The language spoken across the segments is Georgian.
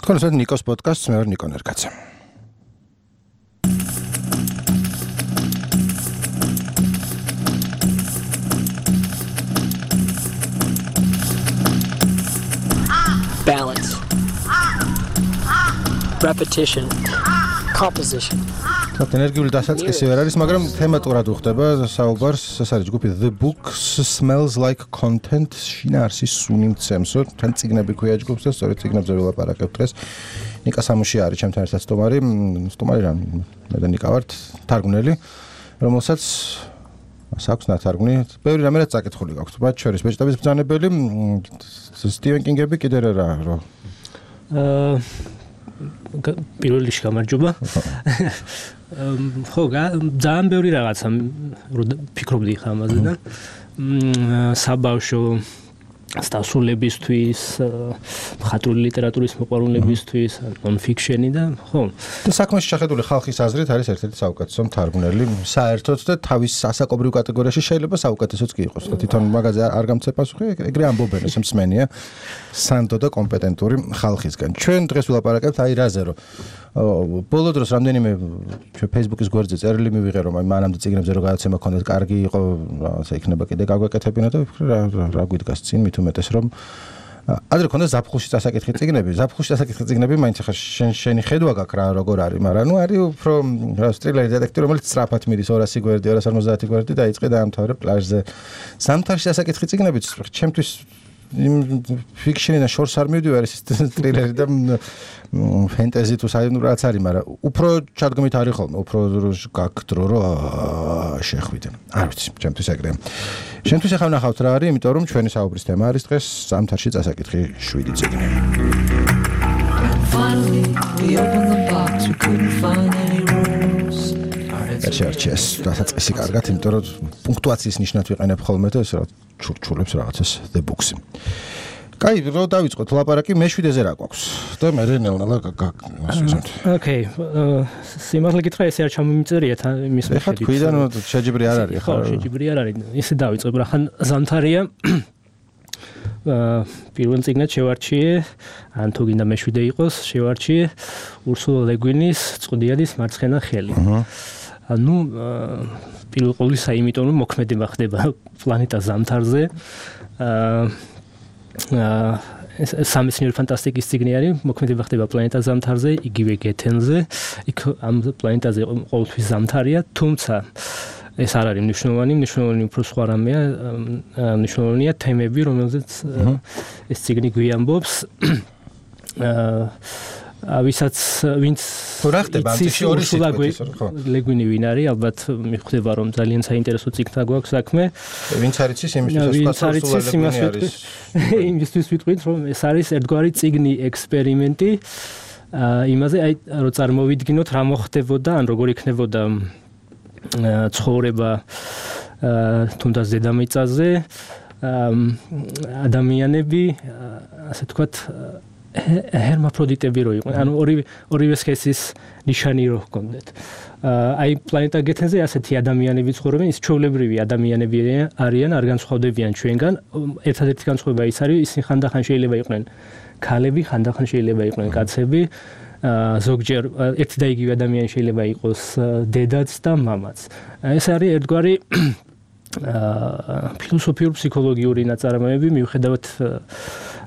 თქვენ ესეთ ნიკოს პოდკასტს მე ვარ ნიკო ნერგაძე. Balance, repetition, composition. ენერგიული დასაწყისი ვერ არის, მაგრამ თემატურად უხდება საუბარს, ეს არის ჯგუფი The Books Smells Like Content, შინაარსის სუნი მცემსო, თან წიგნები ქვია ჯგუფს და სწორედ წიგნებზე ვილაპარაკებთ დღეს. ნიკა სამუში არის ჩემთან ერთად სტუმარი რა, მე და ნიკა ვართ, თარგმნელი, რომელსაც აქვს ნათარგმნი, ბევრი რამე რაც წაკითხული გაქვთ, მათ შორის ბეჭდების ბრძანებელი, სტივენ კინგები კიდე რა. პირველ რიგში გამარჯობა. ხო, ძალიან ბევრი რაღაცა ფიქრობდი ხა ამაზე და საბავშვო სტასულებისთვის, მხატვრული ლიტერატურის მოყვარულებისთვის, ნონ-ფიქშენი და ხო. და საქმეში შეხედული ხალხის აზრით არის ერთ-ერთი საუკეთესო მთარგმნელი, საერთოდ და თავის ასაკობრივ კატეგორიაში შეიძლება საუკეთესოც კი იყოს. თვითონ მაგაზე არ გამცე პასუხი, ეგრე ამბობენ, ეს მსმენია სანდო და კომპეტენტური ხალხისგან. ჩვენ დღეს ვილაპარაკებთ აი რაზე რომ ბოლო დროს რამდენიმე ჩვენ Facebook-ის გვერდზე წერილი მივიღე რომ აი მანამდე წიგნებზე რო გადაცემა ქონდეთ, კარგი იყო, ასე იქნება კიდე გაგვეკეთებინა და რა გვიდგას წინ მით უმეტეს რომ ადრე ქონდა ზაფხულში დასაკითხი წიგნები, წიგნები მაინც ახლა შენი ხედვა გაქვს რა როგორ არის, მაგრამ ნუ არის უფრო სტრილერი დეტექტივი, რომელიც სწრაფად მიდის 200 გვერდი, 250 გვერდი და იწყე დაამთავრე პლაჟზე. ზამთარში დასაკითხი წიგნებიც ჩემთვის ფიქშენიდან შორს არ მივდივარ, ეს სტრილერი და ფენტეზი თუ საერთოდ რაც არის, მაგრამ უფრო ჩადგმით არის ხოლმე, უფრო გაქვთ დრო რომ შეხვიდე. არ ვიცი, ჩემთვის ეგრეა. შენთვის ახლა ვნახავთ რა არის, იმიტომ რომ ჩვენი საუბრის თემა არის დღეს ზამთარში დასაკითხი 7 წიგნი. ეს დასაწყისი კარგად, იმიტომ რომ პუნქტუაციის ნიშნად ვიყენებ ხოლმე და ეს რა ჩურჩულებს რაღაცას The Books-ი. კაი, რო დავიწყოთ ლაპარაკი, მე-7-ზე რა გვაქვს? და მე ნელ-ნელა გასვისოთ. ოკეი, სიმართლე გითხრა, ესე არ ჩამომიწერია იმის მიხედვით. ეხლა თქვიდან შეჯიბრი არ არის, ხო, შეჯიბრი არ არის. ისე დავიწყებ რა, ხან ზამთარია. პირველ წიგნად შევარჩიე, ან თუ გინდა მე-7 იყოს, შევარჩიე ურსულა ლე გვინის წყდიანის მარცხენა ხელი. ანუ პირველ ყოვლისა იმიტომ რომ მოქმედება ხდება პლანეტა ზამთარზე. სამეცნიერო ფანტასტიკის წიგნი არის, მოქმედება ხდება პლანეტა ზამთარზე, იგივე გეთენზე. იქ ამ პლანეტაზე ყოველთვის ზამთარია, თუმცა ეს არ არის მნიშვნელოვანი უფრო სხვა რამეა, მნიშვნელოვანია თემები, რომელზეც ეს წიგნი გვიამბობს. ვინც რა ხდება ამ წიგნში ორი სიტყვით, ხო? ლეგვინი ვინ არის, ალბათ მიხვდება რომ ძალიან საინტერესო წიგნთან გვაქვს საქმე. ვინც არის იმისთვის ვიტყვით რომ ეს არის ერთგვარი წიგნი ექსპერიმენტი იმაზე, აი რომ წარმოვიდგინოთ რა მოხდებოდა, ან როგორ იქნებოდა ცხოვრება თუნდაც დედამიწაზე, ადამიანები, ასე თქვათ ჰერმაფროდიტები რო იყვნენ, ანუ ორივე სქესის ნიშანი რო ჰქონდეთ. აი პლანეტა გეთენზე ასეთი ადამიანები ცხოვრობენ, ის ჩვეულებრივი ადამიანები არიან, არ განსხვავდებიან ჩვენგან. ერთადერთი განსხვავება ის არის, ისინი ხანდახან შეიძლება იყვნენ ქალები, ხანდახან შეიძლება იყვნენ კაცები. ზოგჯერ ერთი და იგივე ადამიანი შეიძლება იყოს დედაც და მამაც. ეს არის ერთგვარი ფილოსოფიური ფსიქოლოგიური ნაწარმოები, მიუხედავად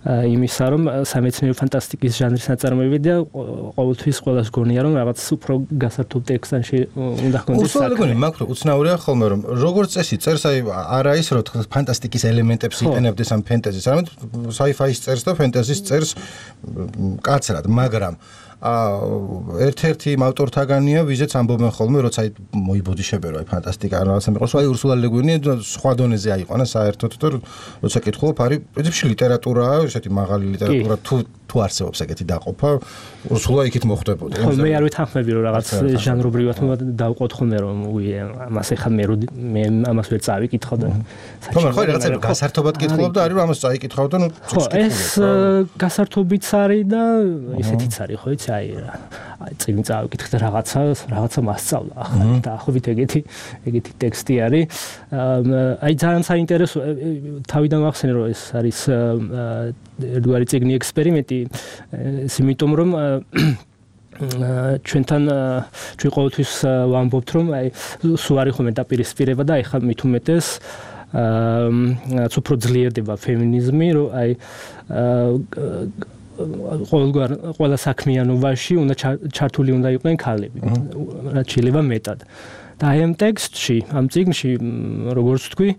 იმისა, რომ სამეცნიერო ფანტასტიკის ჟანრის ნაწარმოები და ყოველთვის ყველას გონია, რომ რაღაც უფრო გასართობ ტექსტში უნდა ჰქონდეს საქმე. მაგრამ უცნაურია ხოლმე, რომ როგორც წესი წერს, აი არა ის, რომ ფანტასტიკის ელემენტებს იყენებდეს ამ ფენტეზის, არამედ sci-fi-ის წერს და ფენტეზის წერს კაცრად, მაგრამ ერთ-ერთი ავტორთაგანია, ვიზეც ამბობენ ხოლმე, როცა აი მოიბოდიშებე რომ აი ფანტასტიკა რაღაცა მიყოს, აი ურსულა ლე გვინი სხვა დონეზე აიყვანა საერთოდ და როცა კითხულობ, არის პრინციპში ლიტერატურაა, ესეთი მაღალი ლიტერატურა თუ არსებობს ეგეთი დაყოფა, ურსულა იქით მოხდებოდა. ხო, მე არ ვითანხმები რომ რაღაც ჟანრობრივად დავყოთ ხოლმე რომ ამას ეხა მე ამას ვერ წავიკითხავ და ხო, ხო, რაღაცა გასართობად კითხულობ და არის რომ ამას წაიკითხავ და ნუ ეს გასართობიც არის და ესეთიც არის, ხო იცი, აი წიგნი წავიკითხე და რაღაცა მასწავლა ახლა დაახლოებით ეგეთი ტექსტი არის. აი ძალიან საინტერესო, თავიდან ვახსენე რომ ეს არის ერთგვარი წიგნი ექსპერიმენტი, ეს იმიტომ რომ ჩვენთან ჩვენ ყოველთვის ვამბობთ რომ აი სულ არის ხოლმე დაპირისპირება და ეხლა მით უმეტეს უფრო ძლიერდება ფემინიზმი რომ აი ყველა საქმიანობაში უნდა ჩართული უნდა იყვნენ ქალები რაც შეიძლება მეტად და აი ამ ტექსტში ამ წიგნში როგორც ვთქვი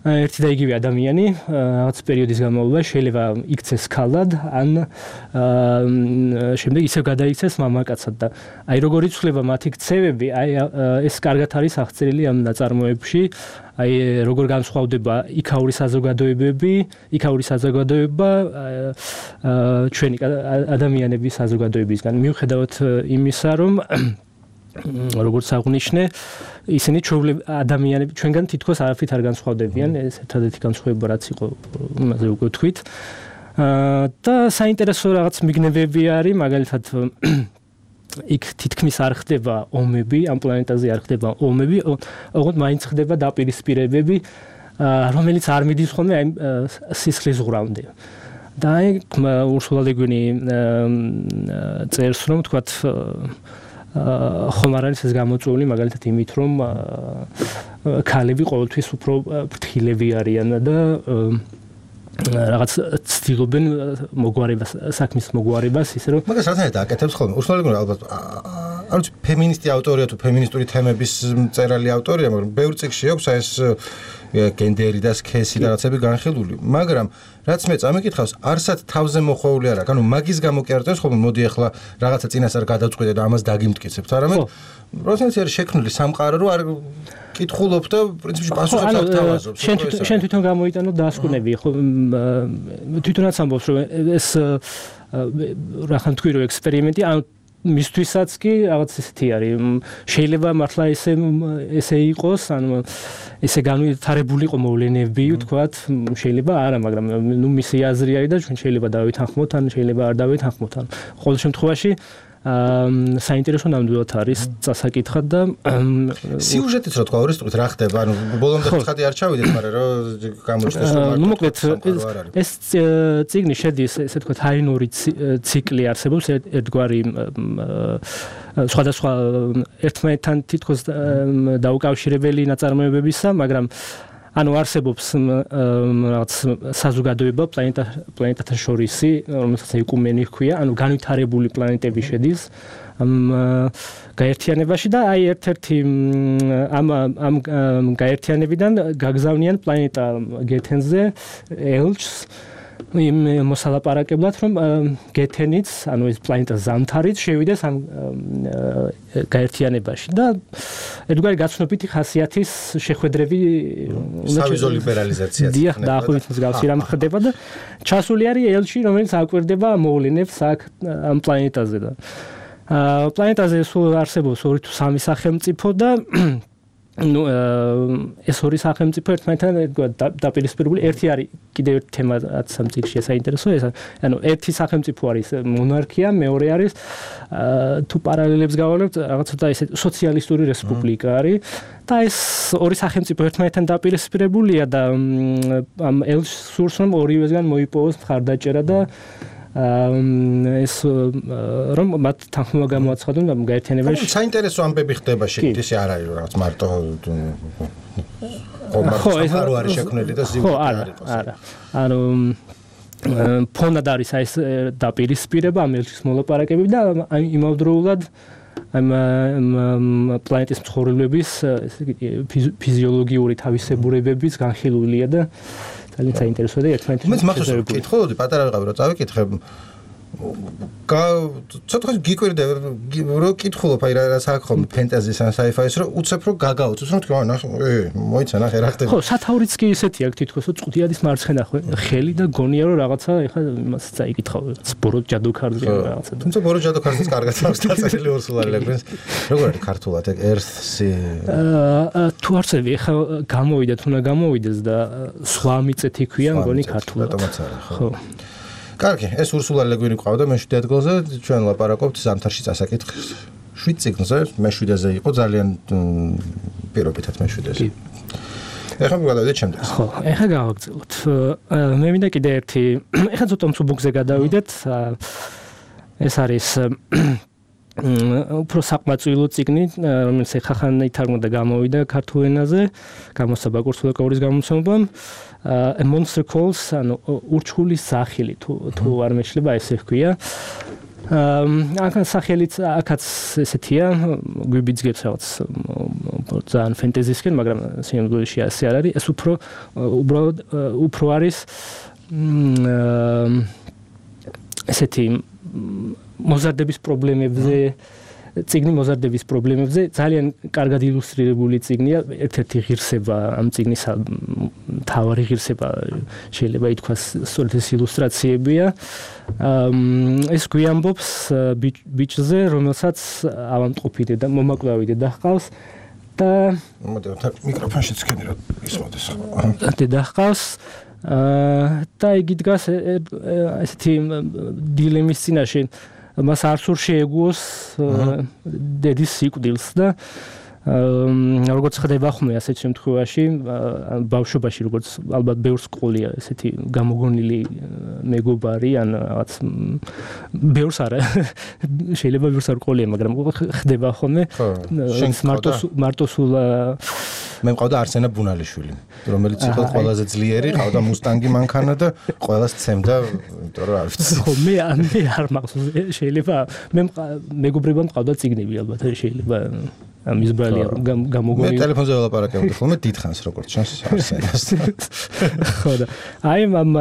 ერთი და იგივე ადამიანი რაღაც პერიოდის განმავლობაში შეიძლება იქცეს ქალად ან შემდეგ ისევ გადაიქცეს მამაკაცად და აი როგორ იცვლება მათი ქცევები აი ეს კარგად არის აღწერილი ამ ნაწარმოებში აი როგორ განსხვავდება იქაური საზოგადოება ჩვენი ადამიანების საზოგადოებისგან მიუხედავად იმისა რომ როგორც აღნიშნე ისინი ადამიანები ჩვენგან თითქოს არაფრით არ განსხვავდებიან ეს ერთადერთი განსხვავება რაც იყო იმაზე უკვე ვთქვით და საინტერესო რაღაც მიგნებები არის მაგალითად იქ თითქმის არ ხდება ომები ამ პლანეტაზე არ ხდება ომები ოღონდ მაინც ხდება დაპირისპირებები რომელიც არ მიდის ხოლმე აი სისხლის ზღვრამდე და აი ურსულა ლე გვინი წერს რომ თქვათ ხომ არ არის ეს გამოწვეული მაგალითად იმით რომ ქალები ყოველთვის უფრო ფრთხილები არიან და რაღაც ცდილობენ მოგვარებას საქმის მოგვარებას ისე რომ მაგას რატომ აკეთებს ხოლმე ურსულა ლე გვინი ალბათ არ ვიცი ფემინისტი ავტორია თუ ფემინისტური თემების მწერალი ავტორია მაგრამ ბევრ წიგნში აქვს ეს გენდერი და სქესი და რაღაცები განხილული მაგრამ რაც მე წამიკითხავს არსად თავზე მოხვეული არა ანუ მაგის გამო კი არ წერს ხოლმე მოდი ახლა რაღაცა წინასწარ გადავწყვიტე და ამას დაგიმტკიცებთ არამედ პროცესი არის შექმნილი სამყარო რომ არ კითხულობ და პრინციპში პასუხებს არ თავაზობ შენ თვითონ გამოიტანო დასკვნები ხო თვითონაც ამბობს რომ ეს რახან თქვი რომ ექსპერიმენტი ან მისთვისაც კი რაღაც ისეთი არის შეიძლება მართლა ესე იყოს ანუ ესე განვითარებული იყო მოვლენები ვთქვათ შეიძლება არა მაგრამ ნუ მისი აზრი არის და ჩვენ შეიძლება დავითანხმოთ ან შეიძლება არ დავითანხმოთ ან ყოველ შემთხვევაში საინტერესო ნამდვილად არის წასაკითხად და სიუჟეტიც რო თქვა ორისტყით რა ხდება ანუ ბოლომდე ცხადი არ ჩავიდეთ მაგრამ რომ გამოჩნდეს რომ ნუ მოკლედ ეს წიგნი შედის ესე თქვა ჰაინური ციკლი არსებობს ერთგვარი სხვადასხვა ერთმანეთთან თითქოს დაუკავშირებელი ნაწარმოებებისა მაგრამ ანუ არსებობს რაღაც საზოგადოება პლანეტათა შორისი რომელსაც ეკუმენი ჰქვია ანუ განვითარებული პლანეტები შედის ამ გაერთიანებაში და აი ერთ-ერთი ამ გაერთიანებიდან გაგზავნიან პლანეტა გეთენზე ელჩს იმ მოსალაპარაკებლად რომ გეთენიც ანუ ეს პლანეტა ზამთარიც შევიდეს ამ გაერთიანებაში და ერთგვარი გაცნობიტი ხასიათის შეხვედრები სავიზო ლიბერალიზაცია დიახ დაახლოებით მსგავსი რამ ხდება და ჩასული არის ელჩი რომელიც აკვირდება მოვლენებს აქ ამ პლანეტაზე და პლანეტაზე სულ არსებობს 2 თუ 3 სახელმწიფო და ну ეს ორი სახელმწიფო ერთმანეთთან დაპირისპირებული ერთი არის კიდევ ერთი თემა რაც ამ წიგნში საინტერესო ეს ანუ ერთი სახელმწიფო არის მონარქია მეორე არის თუ პარალელებს გავავლებთ რაღაც ცოტა ესე სოციალისტური რესპუბლიკა არის და ეს ორი სახელმწიფო ერთმანეთთან დაპირისპირებულია და ამ ელჩს სურს რომ ორივესგან მოიპოვოს მხარდაჭერა და ეს რომ მათ თანხმობა გამოაცხადონ ამ გაერთიანებაში. საინტერესო ამბები ხდება შეგით ისე არ არის რაღაც მარტო ხო ეს არის შექმნილი და ზივი არ იყოს. არა. ანუ ფონად არის ეს დაპირისპირება ამ ელჩის მოლაპარაკებები და იმავდროულად ამ პლანეტის მცხოვრებლების ფიზიოლოგიური თავისებურებების განხილულია და ძალიან საინტერესოა და ერთმანეთთან მე მაგას ვკითხულობდი პატარა ვიყავი რომ წავიკითხე ცოტა გიკვირდა რომ კითხულობ აი რა საქმე ფენტაზის ან საიფაის რომ უცებ რომ გაგაუწოს რომ თქვა ნახე მოიცა ნახე რა ხდება ხო სათაურიც კი ისეთი აქვს თითქოს რომ წუთიადის მარცხენა ხელი და გონია რომ რაღაცა ეხლა იმას წაიკითხავ ბორო ჯადოქარზე რაღაცა თუმცა ბორო ჯადოქარზეც კარგად აქვს დაწერილი ურსულა ლე გვინს როგორ არის ქართულად ერსი თუ არცები ეხლა გამოვიდეთ უნდა გამოვიდეს და სხვა მიწეთი ქვია მგონი ქართულად ხო კარგი, ეს ურსულა ლე გვინი ყავდა მე-7 ადგილზე, ჩვენ ლაპარაკობთ ზამთარში წასაკითხს. 7 წიგნზე, მე-7-ზე იყო ძალიან პირობითად მე-7-ზე. ეხლა გადავიდეთ შემდეგს. ხო, ეხლა გავაგრძელოთ. მე მინდა კიდე ერთი, ეხლა ცოტა მსუბუქზე გადავიდეთ. ეს არის უფრო საკმაწყვილო წიგნი, რომელიც ხახან ითარგმნა და გამოვიდა ქართულ ენაზე, გამოსცა ბაკურს ლოკაურის გამომცემლობამ. A monster calls, ანუ ურჩხულის სახელი თუ არ მეშლება ესე ჰქვია. აქ სახელიც აქაც ესეთია, გვიბიძგებს რაღაც ძალიან ფენტეზისკენ, მაგრამ სიმბოლში ასე არ არის. ეს უბრალოდ უფრო არის ესეთი მოზარდების პრობლემებზე, წიგნი მოზარდების პრობლემებზე ძალიან კარგად ილუსტრირებული წიგნია. ერთ-ერთი ღირსება ამ წიგნის თავარი ღირსება შეიძლება ითქვას სწორედ ეს ილუსტრაციებია. ეს გვიამბობს ბიჭზე, რომელსაც ავადმყოფი და მომაკვდავი დედა ჰყავს და მიკროფონშიც ქენი რა ისმოდეს. დედა ჰყავს და იგი დგას ესეთი დილემის წინაშე. მას არ სურს შეეგუოს დედის სიკვდილს და როგორც ხდება ხმე ასეთ შემთხვევაში ბავშვობაში როგორც ალბათ ბევრს ყოლია ესეთი გამოგონილი მეგობარი ან რაღაც ბევრს არა შეიძლება ბევრს არ ყოლია მაგრამ ხდება ხმე მარტოსულ მე მყავდა არსენა ბუნალიშვილი რომელიც იყო ყველაზე ძლიერი ყავდა მუსტანგი მანქანა და ყველას ცემდა იმიტომ რომ არ ვიცი ხო მე არ მახსოვს შეიძლება მე მეგობრებმა მყავდა წიგნები ალბათ შეიძლება ამის ბრალია გამოგონილი მე ტელეფონზე ველაპარაკებდი ხოლმე დიდხანს როგორც ჩანს არსენას ხო და აი მამ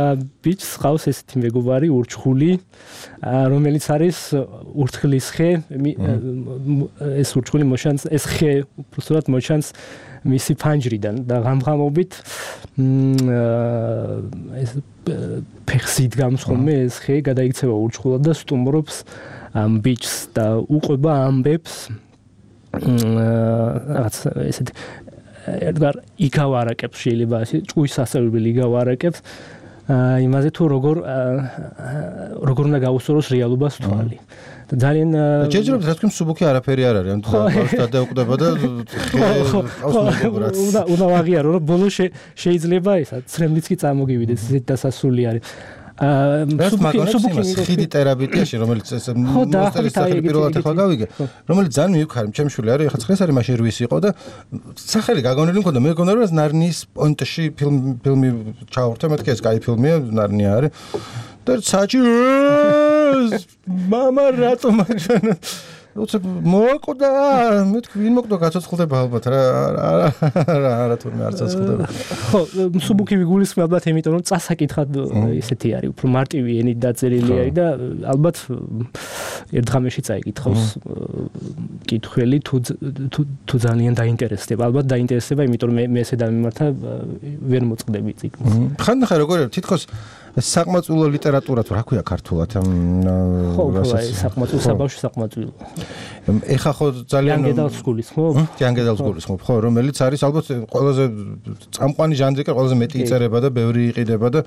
ბიჭს ყავს ესეთი მეგობარი ურჩხული რომელიც არის ურთხლის ხე ეს ურჩხული მოშანს ეს ხე უბრალოდ მოშანს მისი ფანჯრიდან და ღამღამობით ეს ფეხსით გამსხომე ეს ხე გადაიქცევა ურჩხულად და სტუმრობს ამ ბიჭს და უყვება ამბებს რაღაც ესეთ ერთგვარ იგავარაკებს შეიძლება ასე ჭუის სასწავლებელი იგავარაკებს იმაზე თუ როგორ უნდა გაუსწოროს რეალობას თვალი და ძალიან ჯერჯერობით რა თქმა უნდა სუბუქი არაფერი არ არის ანუ გადაუკვდება და უნდა ვაღიარო რომ ბოლოს შეიძლება ისა ცრემლიც კი წარმოგივიდეს ესეთ დასასრული არის სუბუქი ხიდი ტერაბიტიაში რომელიც ეს მოსტერის სახელი პირველად ახლა გავიგე რომელიც ძალიან მივქარი ჩემ შვილი არის ახლა ხეს არის მაშინ რვის იყო და სახელი გაგონილი მქონდა მე მგონია რომ ნარნიის პონტში ფილმი ჩაურთე მეთქი ეს კაი ფილმია ნარნია არის და საჭი мама რატომ აჩვენა უცებ მოაკვდა მე თქვი ვინ მოკვდა გაცოცხლდება ალბათ რა თურმე არ ცოცხლდება ხო სუბუქი ვიგულისხმე ალბათ იმიტომ რომ წასაკითხად ისეთი არის უფრო მარტივი ენით დაწერილი არის და ალბათ ერთ ღამეში წაიკითხავს კითხველი თუ ძალიან დაინტერესდება ალბათ დაინტერესდება იმიტომ რომ მე ესე დამიმართა ვერ მოწყდები წიგნს ხანდახან როგორ თითქოს საკმაწყვილო ლიტერატურა თუ რა ქვია ქართულად ხო საკმაწყვილო საბავშვო საკმაწყვილო ეხა ხო ძალიან ანგედალს გულის ხო? ანგედალს გულის ხო, რომელიც არის ალბათ ყველაზე წამყვანი ჟანრი კი ყველაზე მეტი იწერება და ბევრი იყიდება და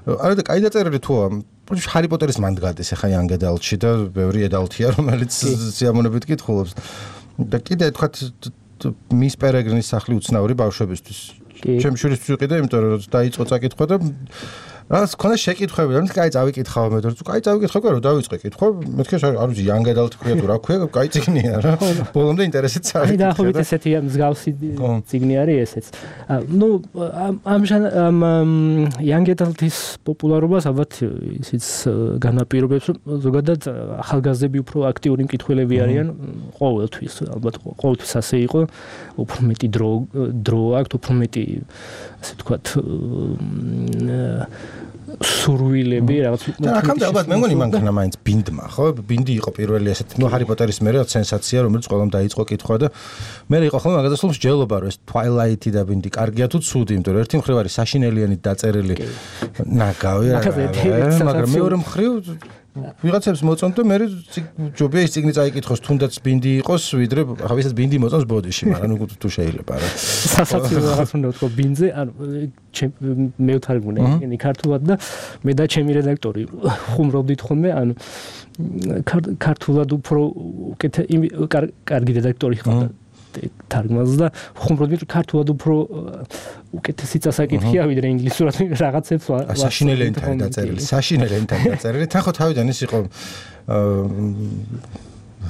არა და კაი დაწერილი თუა. ჰარი პოტერის მანდ გადეს ეხა ანგედალში და ბევრი ედალთია რომელიც სიამოვნებით კითხულობს. და კიდე თქვათ მის პერეგრინის სახლი უცნაური ბავშვებისთვის. ჩემ შვილისთვის ვიყიდე, იმიტომ რომ დაიწყო წაკითხვა და რას ქონდა შეკითხვები, რომ კაი წავიკითხავ მე, რომ კაი წავიკითხავ, რომ დავიწყე კითხვა, მეთქე არ ვიცი, ანგედალთ ქვია თუ რა ქვია, კაი წიგნია რა. ბოლომდე ინტერესით წავიკითხე. აი დაახლოებით ესეთი მსგავსი წიგნი არის ესეც. ნუ ამ ანგედალთის პოპულარობას ალბათ ისიც განაპირობებს, რომ ზოგადად ახალგაზრდები უფრო აქტიური მკითხველები არიან ყოველთვის, ალბათ ყოველთვის ასე იყო, უფრო მეტი დრო აქვს, უფრო მეტი ასე ვთქვათ სურვილები რაღაც და აქამდე ალბათ მე მგონი მანქანა მაინც ბინდმა ხო ბინდი იყო პირველი ასეთ ნუ ჰარი პოტერის მერე სენსაცია რომელიც ყველამ დაიწყო კითხვა და მე იყო ხოლმე მაგასასრულს ჯელობა რომ ეს Twilight-ი და ბინდი კარგია თუ ცუდი იმიტომ რომ ერთი მხრივ არის საშინელიანით დაწერილი ნაგავი მაგრამ მეორე მხრივ ვიღაცებს მოწონთ და მე ჯობია ის წიგნი წაიკითხოს თუნდაც ბინდი იყოს ვიდრე ახლა ვისაც ბინდი მოწონს ბოდიში მაგრამ ნუ თუ შეიძლება რა სასაცილო რაღაც უნდა ვთქვა ბინძე ანუ მე ვთარგმნე ენი ქართულად და მე და ჩემი რედაქტორი ხუმრობდით ხოლმე ანუ ქართულად უფრო კარგი რედაქტორი ხარდა თარგმანს და ხუმრობდი ქართულად უფრო უკეთესი წასაკითხია ვიდრე ინგლისურად რაღაცებს საშინელი ენთაა დაწერილი საშინელი ენთაა დაწერილი თან ხო თავიდან ის იყო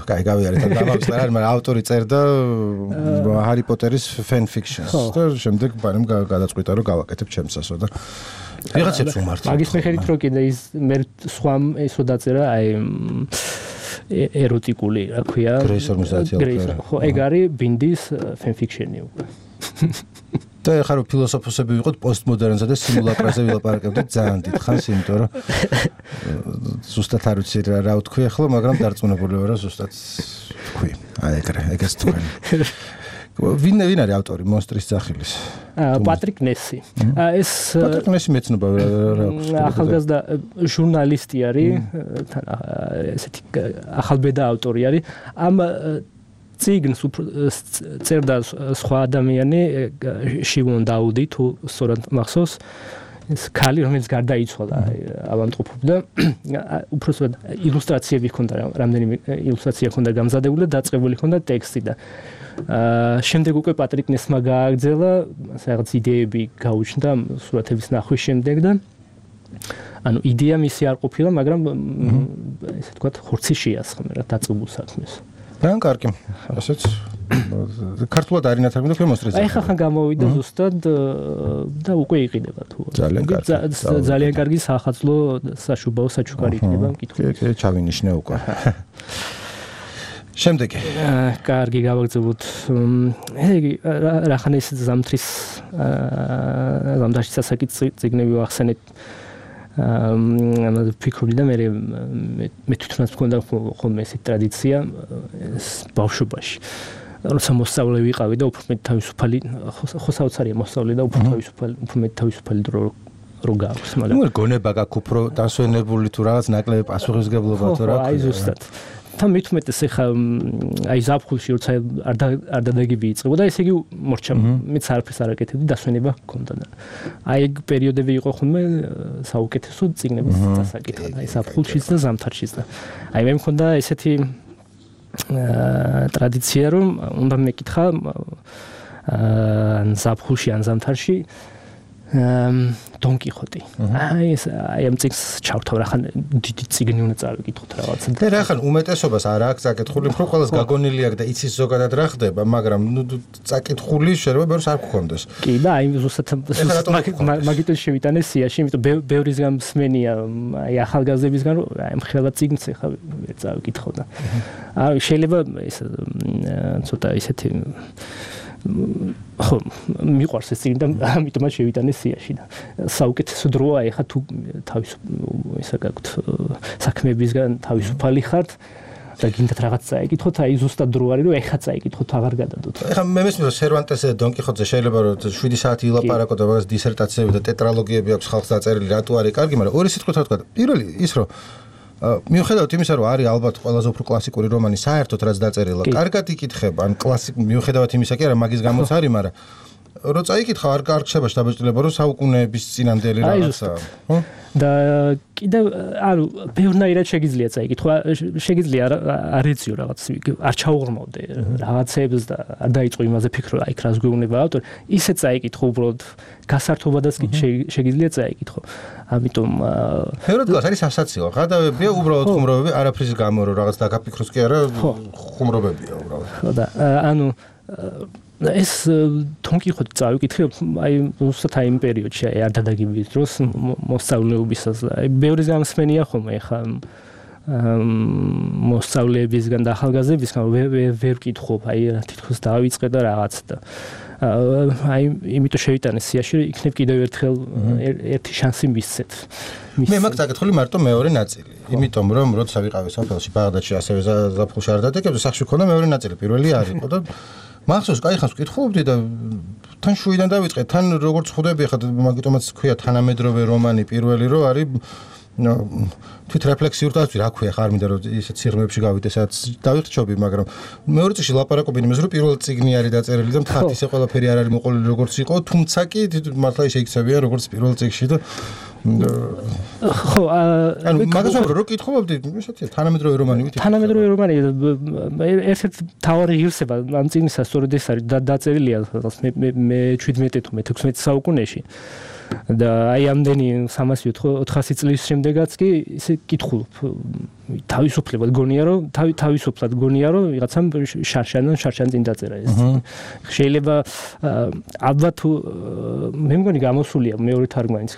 კაი გავიარეთ და დავაწყდა მაგრამ ავტორი წერდა ჰარი პოტერის fan fictions და შემდეგ ბანემ გადაწყვიტა რომ გავაკეთებ ჩემსასო და ვიღაცებს უმართლა მაგის მიხედვით რომ კიდე ის მე სხვა ესო დაწერა აი ეროტიკული რა ქვია ხო ეგ არის ბინდის fan fiction-ი უკვე და ეხლა რომ ფილოსოფოსები ვიყოთ პოსტმოდერნზე და სიმულაკრაზე ვილაპარაკებდით ძალიან დიდხანს იმიტომ რომ ზუსტად არ ვიცი რა ვთქვი ახლა მაგრამ დარწმუნებული ვარ ზუსტად ვთქვი აი ეგრეს თქვენ ვინ არის ავტორი მონსტრის სახილის პატრიკ ნესი ეს პატრიკ ნესი მეცნობა რა აქვს ახალგაზრდა ჟურნალისტი არის თან ესეთი ახალბედა ავტორი არის ამ ციგნს წერდა სხვა ადამიანი შივონ დაუდი თუ სწორად მახსოვს ეს ქალი რომელიც გარდაიცვალა ავადმყოფობდა უბრალოდ ილუსტრაციები ჰქონდა რამდენიმე ილუსტრაცია ჰქონდა გამზადებული და დაწყებული ჰქონდა ტექსტი და შემდეგ უკვე პატრიკ ნესმა გააგრძელა რაღაც იდეები გაუჩნდა სურათების ნახვის შემდეგ და ანუ იდეა მისი არ ყოფილა მაგრამ ესე თქვა ხორცი შეასხმე რა დაწყებულ საქმეს ძალიან კარგი ასეც ქართულად არის ნათარგმნი თქვენ მონსტრის აი ხახან გამოვიდა ზუსტად და უკვე იყიდება თუ ძალიან კარგი სახაზლო საშუბაო საჩუქარი იქნება მკითხველს ჩავინიშნე უკვე შემდეგი კარგი გავაგრძელოთ ეგი რახან ეს ზამთრის ზამთარში სასაკით წიგნები ვახსენეთ ფიქრობდი და მე თვითონაც მქონდა ხოლმე ესეთი ტრადიცია ბავშვობაში როცა მოსწავლე ვიყავი და უფრო მეტ თავისუფალი ხო საოცარია მოსწავლე და უფრო თავისუფალი დრო რო გაქვს მაგრამ ნუ გონება გაქვს უფრო დასვენებული თუ რაღაც ნაკლები პასუხისგებლობა თუ რა აი ზუსტად თან მithumetes ეხა აი ზაფხულში როცა არ დადაგები იწყება და ესე იგი მორჩა მეც არაფერს არ აკეთებდი დასვენება ჰქონდა და აი ეგ პერიოდები იყო ხოლმე საუკეთესო წიგნების დასაკითხად აი ზაფხულშიც და ზამთარშიც და აი მე მქონდა ესეთი ტრადიცია რომ უნდა მეკითხა ზაფხულში ან ზამთარში დონ კიხოტი აი ამ წიგნს ჩავთავ რახან დიდი წიგნი უნდა წავიკითხოთ რაღაცა და რახან უმეტესობას არ აქვს წაკითხული უფრო ყველას გაგონილი აქვს და იცის ზოგადად რა ხდება მაგრამ ნუ წაკითხული შეიძლება ბევრს არ გქონდეს კი და აი ზუსტად მაგიტო შევიტანე სიაში იმიტომ ბევრისგან მსმენია აი ახალგაზრდებისგან რომ აი მხოლოდ წიგნს ეხა ვერ წავიკითხო და აი შეიძლება ეს ცოტა ისეთი ხო მიყვარს ეს წიგნი და ამიტომაც შევიტანე სიაში და საუკეთესო დროა ეხა თუ ისა გაქვთ საქმეებისგან თავისუფალი ხართ და გინდათ რაღაც წაიკითხოთ აი ზუსტად დრო არის რომ ეხა წაიკითხოთ აღარ გადადოთ ეხა მე მესმის რომ სერვანტესზე და დონ კიხოტზე შეიძლება რომ 7 საათი ილაპარაკო და რაღაც დისერტაციები და ტეტრალოგიები აქვს ხალხს დაწერილი რატო არის კარგი მაგრამ ორი სიტყვით რა თქვა პირველი ის რომ მიუხედავად იმისა რომ არის ალბათ ყველაზე უფრო კლასიკური რომანი საერთოდ რაც დაწერილა კარგად იკითხება ან მიუხედავად იმისა კი არა მაგის გამოც არის მაგრამ რო წაიკითხა არ ხდება შთაბეჭდილება რომ საუკუნეების წინანდელი რაღაცაა ხო და კიდევ ანუ ბევრნაირად შეგიძლია წაიკითხვა შეგიძლია არ ეციო რაღაც არ ჩაუღრმავდე რაღაცებს და არ დაიწყო იმაზე ფიქრო აი რას გვეუბნება ავტორი ისე წაიკითხო უბრალოდ გასართობადაც შეგიძლია წაიკითხო ამიტომ ბევრად გას არის სასაციო ღადავებია უბრალოდ ხუმრობები არაფრის გამო რომ რაღაც დაგაფიქროს კი არა ხუმრობებია უბრალოდ ხო და ანუ ეს თონკიხოთ წავიკითხე აი უბრალოდ აი იმ პერიოდში აი არ დადაგებიის დროს მოსწავლეობისას აი ბევრი გამსმენია ხოლმე ხა მოსწავლეებისგან და ახალგაზრდებისგან ვერ ვკითხობ აი თითქოს დავიწყე და რაღაც და აი იმიტომ შევიტანე სიაში რომ იქნებ კიდევ ერთხელ ერთი შანსი მისცეთ მე მაგ წაკითხული მარტო მეორე ნაწილი იმიტომ რომ როცა ვიყავი საფრანგეთში ბაღდადში ასევე ზაფხულში არ დადაგებდი სახში ქონდა მეორე ნაწილი პირველი არ იყო და მახსოვს, კაი ხანს ვკითხულობდი და თან შუიდან დავიწყე, თან როგორც ხვდები ხა მაგიტომაც ქვია თანამედროვე რომანი პირველი რო არის თვით რეფლექსიურ და რა ქვია ხარ მინდა რომ ისეთ სიღრმეებში გავიდე სადაც დავიხჩობი მაგრამ მეორე წიგნში ლაპარაკობენ იმაზე რომ პირველ წიგნი არის დაწერილი და მთლად ისე ყველაფერი არ არის მოყოლილი როგორც იყო თუმცა კი მართლა შეიქცევია როგორც პირველ წიგნში და ხო ანუ მაგას რო კითხულობდი ისეთია თანამედროვე რომანი ვითი თანამედროვე რომანი ერთ-ერთ თავარი ღირსება ამ წიგნისა სწორედ ეს არის დაწერილია მე 17 თუ მე 16 საუკუნეში და აი ამდენი 300-400 წლის შემდეგაც კი ისე კითხულობ თავისუფლად გონია რომ თავისუფლად გონია რომ ვიღაცამ შარშან წინ დაწერა ეს შეიძლება ალბათ მე მგონი გამოსულია მეორე თარგმანიც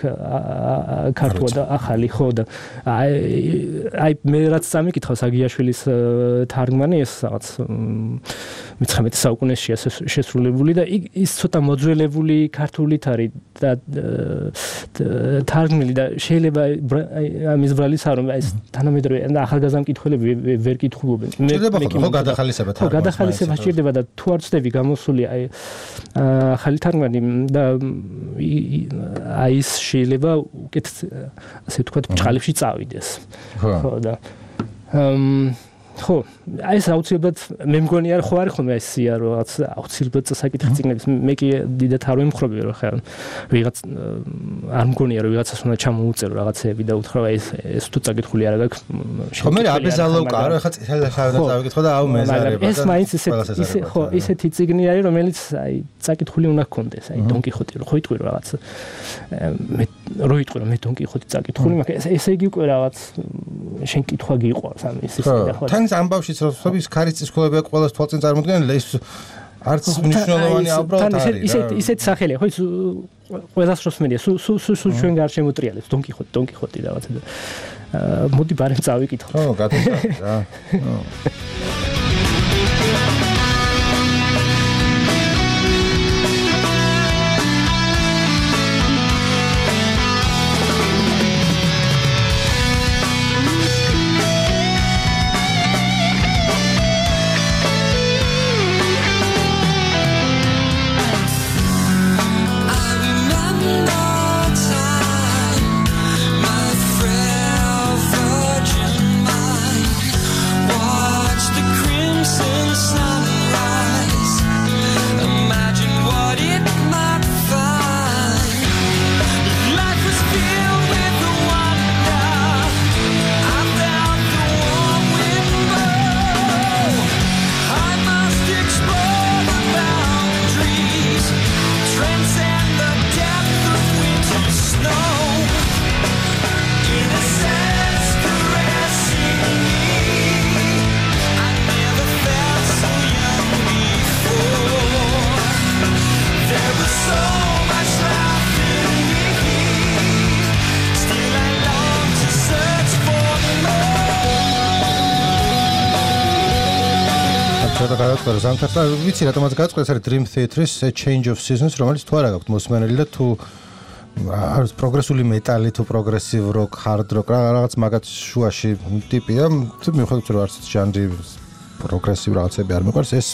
ქართულად და ახალი ხო და აი მე რაც სამიკითხავს აგიაშვილის თარგმანი ეს რაღაც 19 საუკუნეშია შესრულებული და ის ცოტა მოძველებული ქართულით არის და თარგმნილი და შეიძლება ამის ბრალის არ რომ ეს თანამედროვე ახალგაზრდა მკითხველები ვერ კითხულობენ. ხო გადახალისება თარგმანს. ხო გადახალისება სჭირდება და თუ არ ვწდები გამოსული აი ახალი თარგმანი და აი ის შეიძლება უკეთ ასე ვთქვათ ბჭყალებში წავიდეს. ხო და ხო აი ეს აუცილებლად მე მგონი არ ხო არის ხოლმე ეს სია რომ რაღაც აუცილებლად საკითხი წიგნების მე კი დიდად არ ვიმხრობი რომ ხა ვიღაც არ მგონია რომ ვიღაცას უნდა ჩამოუწერო რაღაცეები და უთხრა ეს თუ წაკითხული არ აქვს ხო მე აბეზალოვკა რა ხა წელსავდა წავიკითხო და აუ მეზარება ეს მაინც ისე ხო ისეთი წიგნი არის რომელიც აი წაკითხული უნდა გქონდეს აი დონ კიხოტი ხო იტყვი რაღაც მე რო იტყვი რომ მე დონ კიხოტი წაკითხული მაგრამ ესე იგი უკვე რაღაც შენ კითხვა გიყვარს ამ ის და ხო თანს ამბავშიც რომ ის ქარის სკოლები ყველას თვალწინ წარმოდგენილი ეს არც მნიშვნელოვანი უბრალოდ არის ისეთ სახელია ხო ის ყველას როსმენია სულ ჩვენ გარშემოტრიალებს დონ კიხოტი რაღაცა და მოდი ბარემ წავიკითხო ხო გადაგა რა ზამთარსა ვიცი რატომაც გაწყდეს არის Dream Theatre-ის Change of Seasons რომელიც თუ არა გაქვთ მოსმენელი და თუ არის პროგრესული მეტალი თუ პროგრესივ როკ hard rock რაღაც მაგათ შუაში ტიპია თუ მიუხედავად რომ არც ჟანრი პროგრესივ რაღაცები არ მიყვარს ეს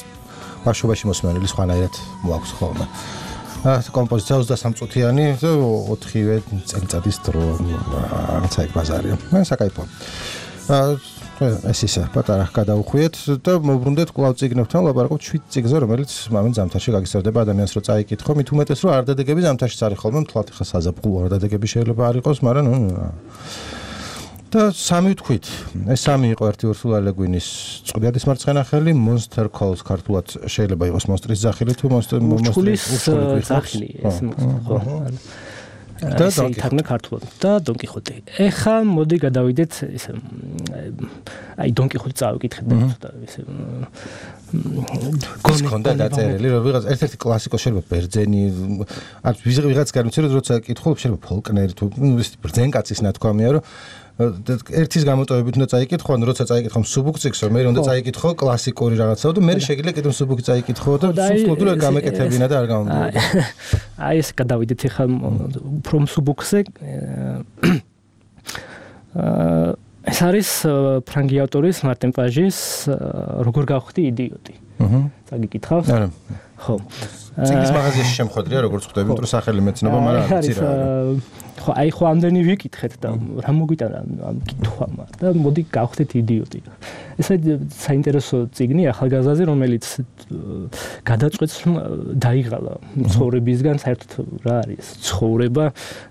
ბავშვობაში მოსმენელი სხვანაირად მოაქვს ხოლმე კომპოზიცია 23 წუთიანი 4-ვე წელიწადის დრო რაღაცა ეგ ბაზარია მე საკაიფო ეს ისე პატარა გადაუხვიეთ და მოbrunდეთ კვლავ წიგნებთან ლაპარაკობთ 7 წიგნზე რომელიც მომენ ზამთარში გაგისწრება ადამიანს რო წაიკითხო მით უმეტეს რომ არ დადეგები ზამთარშიც არის ხოლმე მთლად ხა საზაფხულო არ დადეგები შეიძლება არ იყოს მაგრამ და სამი ვთქვით ეს სამი იყო ერთი ურსულა ლეგვინის წყვილის მარცხენა ხელი Monster Calls ქართულად შეიძლება იყოს მონსტრის სახელი თუ მონსტრის სახელი ეს ხო და თარგმნა ქართულად და დონ კიხოტი. ეხა მოდი გადავიდეთ ისე აი დონ კიხოტი წავიკითხეთ და ისე გონდა დაწერილი რომ ვიღაც ერთ-ერთი კლასიკოსი შეიძლება ბერძენი არ ვიღაც განვიცე რომ როცა კითხულობ შეიძლება ფოლკნერი თუ ის ბერძენკაცის ნათქვამია რომ ერთის გამოტოვებით უნდა წაიკითხო, ან როცა წაიკითხო მსუბუქ წიგნს, მე უნდა წაიკითხო კლასიკური რაღაცაო და მე შეიძლება კიდევ მსუბუქი წაიკითხო და სულსლოდურად გამეკეთებინა და არ გამომდიოდა. აი ეს გადავიდეთ ახლა უფრო მსუბუქზე. ეს არის ფრანგი ავტორის მარტინ პაჟის როგორ გავხდი იდიოტი. წაგიკითხავს? ხო. წიგნის მაღაზიაში შემხვედრია როგორც ხვდები, თუ სახელი მეცნობა, მაგრამ არ ვიცი რა. ხო აი ხო ამდენი ვიკითხეთ და რა მოგვიტანა ამ კითხვამ და მოდი გავხდეთ იდიოტი. ესა საინტერესო წიგნი ახალგაზრდაზე, რომელიც გადაწყვეტს რომ დაიღალა ცხოვრებისგან საერთოდ რა არის ცხოვრება,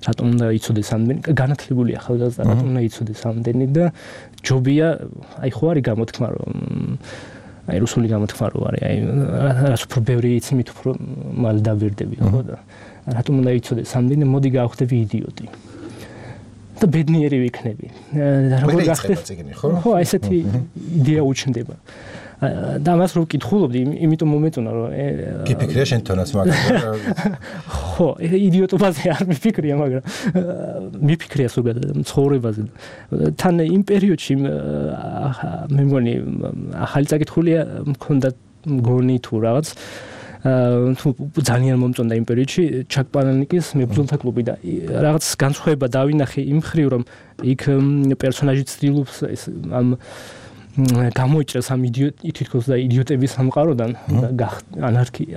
რატომ უნდა იცოდეს ამდენი განათლებული ახალგაზრდა, რატომ უნდა იცოდეს ამდენი და ჯობია აი ხო არის გამოთქმა რომ აი რუსული გამოთქმა რო არის აი რაც უფრო ბევრი იცი მით უფრო მალე დაბერდები ხო და რატომ უნდა იცოდეს ამდენი მოდი გავხდები იდიოტი და ბედნიერი ვიქნები და როგორ გახდეს ხო აი ესეთი იდეა უჩნდება და მას რო ვკითხულობდი იმიტომ მომეწონა რომ გიფიქრია შენ თონაც მაგრამ ხო იდიოტობაზე არ მიფიქრია მაგრამ მიფიქრია ზოგადად ცხოვრებაზე თან იმ პერიოდში მე მგონი ახალი წაკითხულია მქონდა მგონი თუ რაღაც თუ ძალიან მომწონდა იმ პერიოდში ჩაკ პანელნიკის მებრძოლთა კლუბი და რაღაც განსხვავება დავინახე იმ მხრივ რომ იქ პერსონაჟი ცდილობს ამ გამოიჭრას ამ თითქოს და იდიოტების სამყაროდან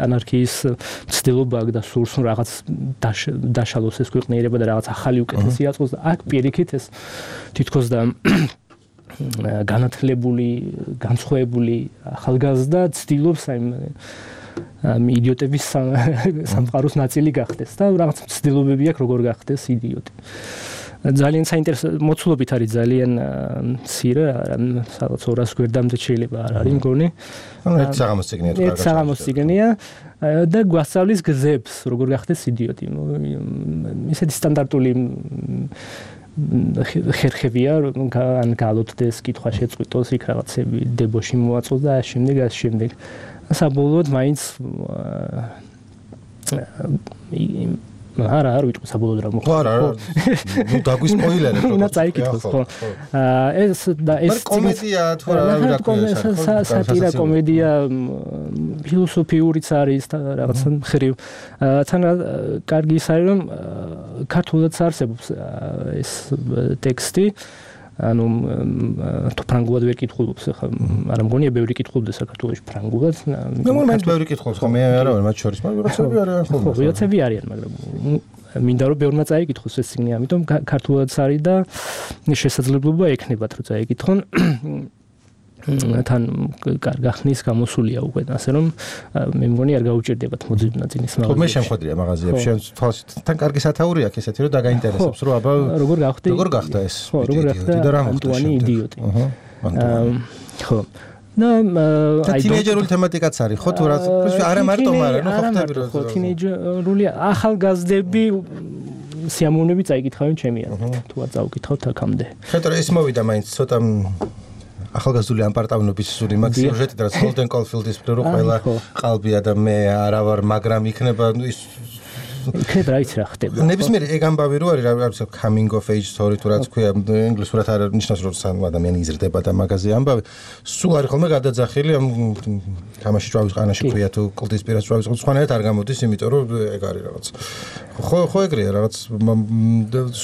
ანარქიის ცდილობა და სურს რაღაც დაშალოს ეს ქვეყნიერება და რაღაც ახალი უკეთესი აწყოს და აქ პირიქით ეს თითქოს და განათლებული განსხვავებული ახალგაზრდა ცდილობს ამ იდიოტების სამყაროს ნაწილი გახდეს და რაღაც ცდილობები აქვს როგორ გახდეს იდიოტი. ძალიან საინტერესო მოცულობით არის ძალიან მცირე, სადაც 200 გვერდამდე შეიძლება არ არის მგონი. ერთ საღამოს წიგნია თუ ერთ საღამოს წიგნია და გვასწავლის გზებს, როგორ გახდეს იდიოტი. ისეთი სტანდარტული ხერხებია, ან გალოცდეს, კითხვა შეწყვიტოს, იქ რაღაცები დებოში მოაწოს და შემდეგ. საბოლოოდ მაინც არა ვიტყვი საბოლოოდ რა მოხდა. ხო არა, ნუ დაგვისპოილერებ. უნდა წაიკითხოს ხო. ეს და ეს კომედია თუ რა ქვია, სატირა კომედია ფილოსოფიურიც არის რაღაც მხრივ. თან კარგი ის არის რომ ქართულადაც არსებობს ეს ტექსტი. ანუ თუ ფრანგულად ვერ კითხულობს ახლა არა მგონია ბევრი კითხულობს საქართველოში ფრანგულად მე მომენტ ბევრი კითხულობს ხო მე არა ვარ მათ შორის მაგრამ ვიღაცები არიან ხო ვიღაცები არიან მაგრამ მინდა რომ ბევრმა წაიკითხოს ეს წიგნი ამიტომ ქართულადაც არის და შესაძლებლობა ექნებათ რომ წაიკითხონ თან გახნის გამოსულია უკვე ასე რომ მე მგონი არ გაუჭირდებათ მოძებნა წინის მაგაზიაში. ხო მე შემხვედრია მაღაზიებში თან კარგი სათაური აქვს ესეთი რომ დაგაინტერესებს რომ აბა როგორ გახდა ეს ანტუანი იდიოტი. ხო და აი თინეიჯერული თემატიკაც არის ხო თუ რა არა მარტო მაგრამ ხო ხტები რომ ხო თინეიჯერული ახალგაზრდები სიამოვნები წაიკითხავენ ჩემი აზრით თუ არ წავკითხავთ აქამდე. ხეთო ეს მოვიდა მაინც ცოტა ახალგაზრდული ამპარტავნობის სული მაგ სიუჟეტი და სოლდენ კოლფილდის პრო ყველა ყალბია და მე არა ვარ მაგრამ იქნება ის იქნებ რა იცი რა ხდება. ნებისმიერ ეგ ამბავი რო არის რა coming of age story თუ რაც ქვია ინგლისურად არ ნიშნავს რომ სამ ადამიანი იზრდება და მაგაზე ამბავი სულ არის ხოლმე გადაძახილი ამ თამაში ჭვავის ყანაში ქვია თუ კლდის პირას ჭვავის სხვანაირად არ გამოდის იმიტომ რომ ეგ არის რაღაც ხო ეგრეა რაღაც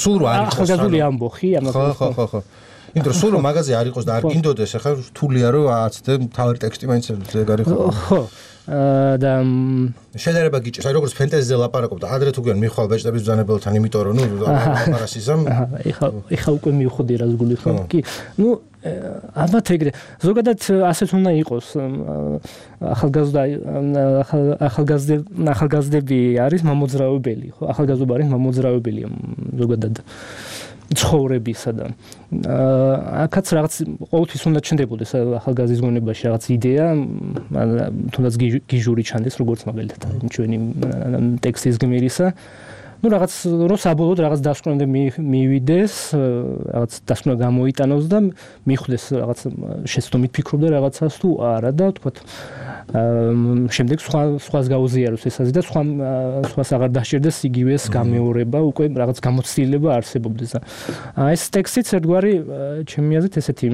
სულ რო არის ახალგაზრული ამბოხი ამას ხო იმიტომ რომ სულ რომ მაგაზე არ იყოს და არ გინდოდეს ახლა რთულია რომ აცდე თავი ტექსტი მაინც ეგ არის ხო და შედარება გიჭირს აი როგორც ფენტეზიზე ლაპარაკობ და ადრე თუ გიან მიხვალ ბეჭდების ბრძანებელთან იმიტომ რომ ნუ ლაპარასიზამ ეხა უკვე მივხვდი რას გული ხო კი ნუ ალბათ ეგრე ზოგადად ასეც უნდა იყოს ახალგაზრდები არის მამოძრავებელი ხო ახალგაზრდობა არის მამოძრავებელი ზოგადად ცხოვრებისა და აქაც რაღაც ყოველთვის უნდა ჩნდებოდეს ახალგაზრდის გონებაში რაღაც იდეა თუნდაც გიჟური ჩანდეს როგორც მაგალითად ჩვენი ტექსტის გმირისა ну რაღაც რო საბოლოოდ რაღაც დასკვნამდე მივიდეს რაღაც დასკვნა გამოიტანოს და მიხვდეს რაღაც შეცდომით ფიქრობდა რაღაცას თუ არა და თქვა შემდეგ სხვას გაუზიაროს ეს აზრი და სხვას აღარ დასჭირდეს იგივეს გამეორება უკვე რაღაც გამოცდილება არსებობდეს და ეს ტექსტიც ერთგვარი ჩემი აზრით ესეთი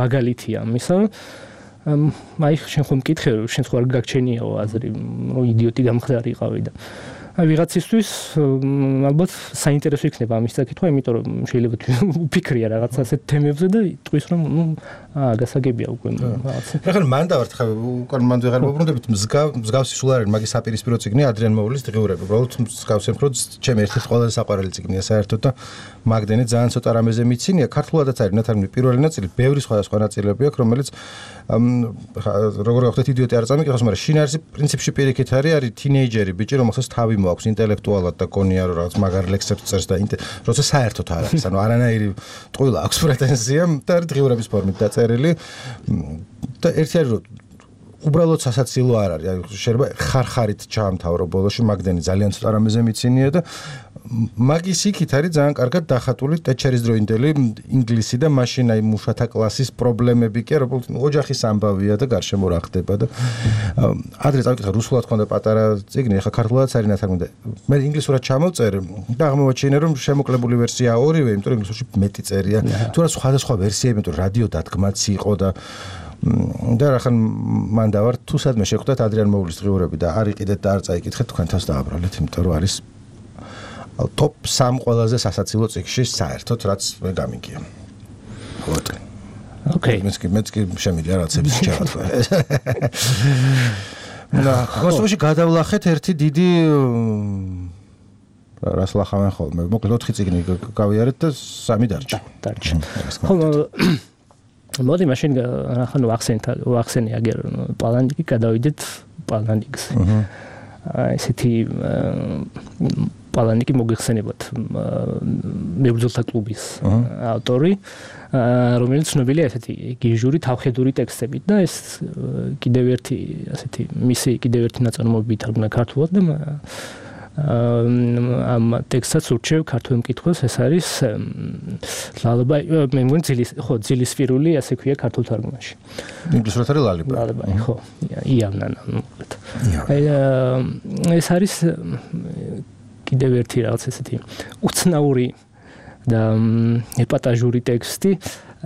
მაგალითია მისა აი შენ ხომ მკითხე რომ შენ სხვა არ გაგჩენიაო აზრი რომ იდიოტი გამხდარიყავი და აი ვიღაცისთვის ალბათ საინტერესო იქნება ამის საკითხვა, იმიტომ რომ შეიძლება უფიქრია რაღაც ასეთ თემებზე და ტყვის რომ ნუ გასაგებია უკვე რაღაცა. ეხლა მან დავართ ხა უკან მან ვეღარ მოbrunდებით მსგავსი სულ არ არის მაგის საპირისპირო წიგნი ადრიან მოულის დღიურები. უბრალოდ მსგავსი უფრო ჩემი ერთ-ერთი ყველაზე საყვარელი წიგნია საერთოდ და მაგდენი ძალიან ცოტა რამეზე მიცინია. ქართულადაც არის ნათარგმნი პირველი ნაწილი, ბევრი სხვადასხვა ნაწილები აქვს, რომელიც როგორ გახდეთ იდიოტი არ წამიკითხოს, მაგრამ შინაარსი პრინციპში პირიქით არის თინეიჯერი ბიჭი, რომელსაც თავი მოაქვს ინტელექტუალად და გონია რომ რაღაც მაგარ ლექსებს წერს და როცა საერთოდ არ არის, ანუ არანაირი ტყუილა აქვს პრეტენზია და დღიურების ფორმით დაწერილი და ერთი არის რომ უბრალოდ სასაცილო არ არის, აი შეიძლება ხარხარით ჩაამთავრო ბოლოში მაგდენი ძალიან ცოტა რამეზე მიცინია და მაგის იქით არის ძალიან კარგად დახატული ტეჩერის დროინდელი ინგლისი და მაშინ აი მუშათა კლასის პრობლემები კი არა, ოჯახის ამბავია და გარშემო რა ხდება და ადრე წავიკითხე რუსულად ხონდა პატარა წიგნი, ახლა ქართულადაც არის ნათარგმნი და მე ინგლისურად ჩამოვწერე და აღმოვაჩინე რომ შემოკლებული ვერსია ორივე, იმიტომ რომ ინგლისურში მეტი წერია, თუ რა სხვადასხვა ვერსიები, იმიტომ რომ რადიო დადგმაც იყო და რახან მან დავარ თუ სადმე შეხვდათ ადრიან მოულის დღიურები და არ იყიდეთ და არ წაიკითხეთ თქვენ თავს დააბრალეთ, იმიტომ რომ არის top 3 ყველაზე სასაცილო წიგნში საერთოდ რაც მე გამიგია. ხოთ. ოკეი. მეც კი შემიძლია რაღაცების შევა თქვა. და გასულში გადავლახეთ ერთი დიდი რას ლახავენ ხოლმე. მოკლედ 4 წიგნი გავიარეთ და 3 დარჩა. მოდი მაშინ ახლა ვახსენე აგერ პალანიკი გადავიდეთ პალანიკს. ესეთი პალანიკი მოგიხსენებათ მებრძოლთა კლუბის ავტორი, რომელიც ცნობილია ესეთი გიჟური თავხედური ტექსტებით და ეს კიდევ ერთი ასეთი მისი კიდევ ერთი ნაწარმოები ითარგმნა ქართულად და ამ ტექსტსაც ურჩევ ქართულ მკითხველს, ეს არის ლალაბა, მე მგონი ძილისპირული, ასე ქვია ქართულ თარგმანში. ინგლისურად არის ლალაბა. ხო, იავნანა. ეს არის კიდევ ერთი რაღაც ესეთი უცნაური და ეპატაჟური ტექსტი,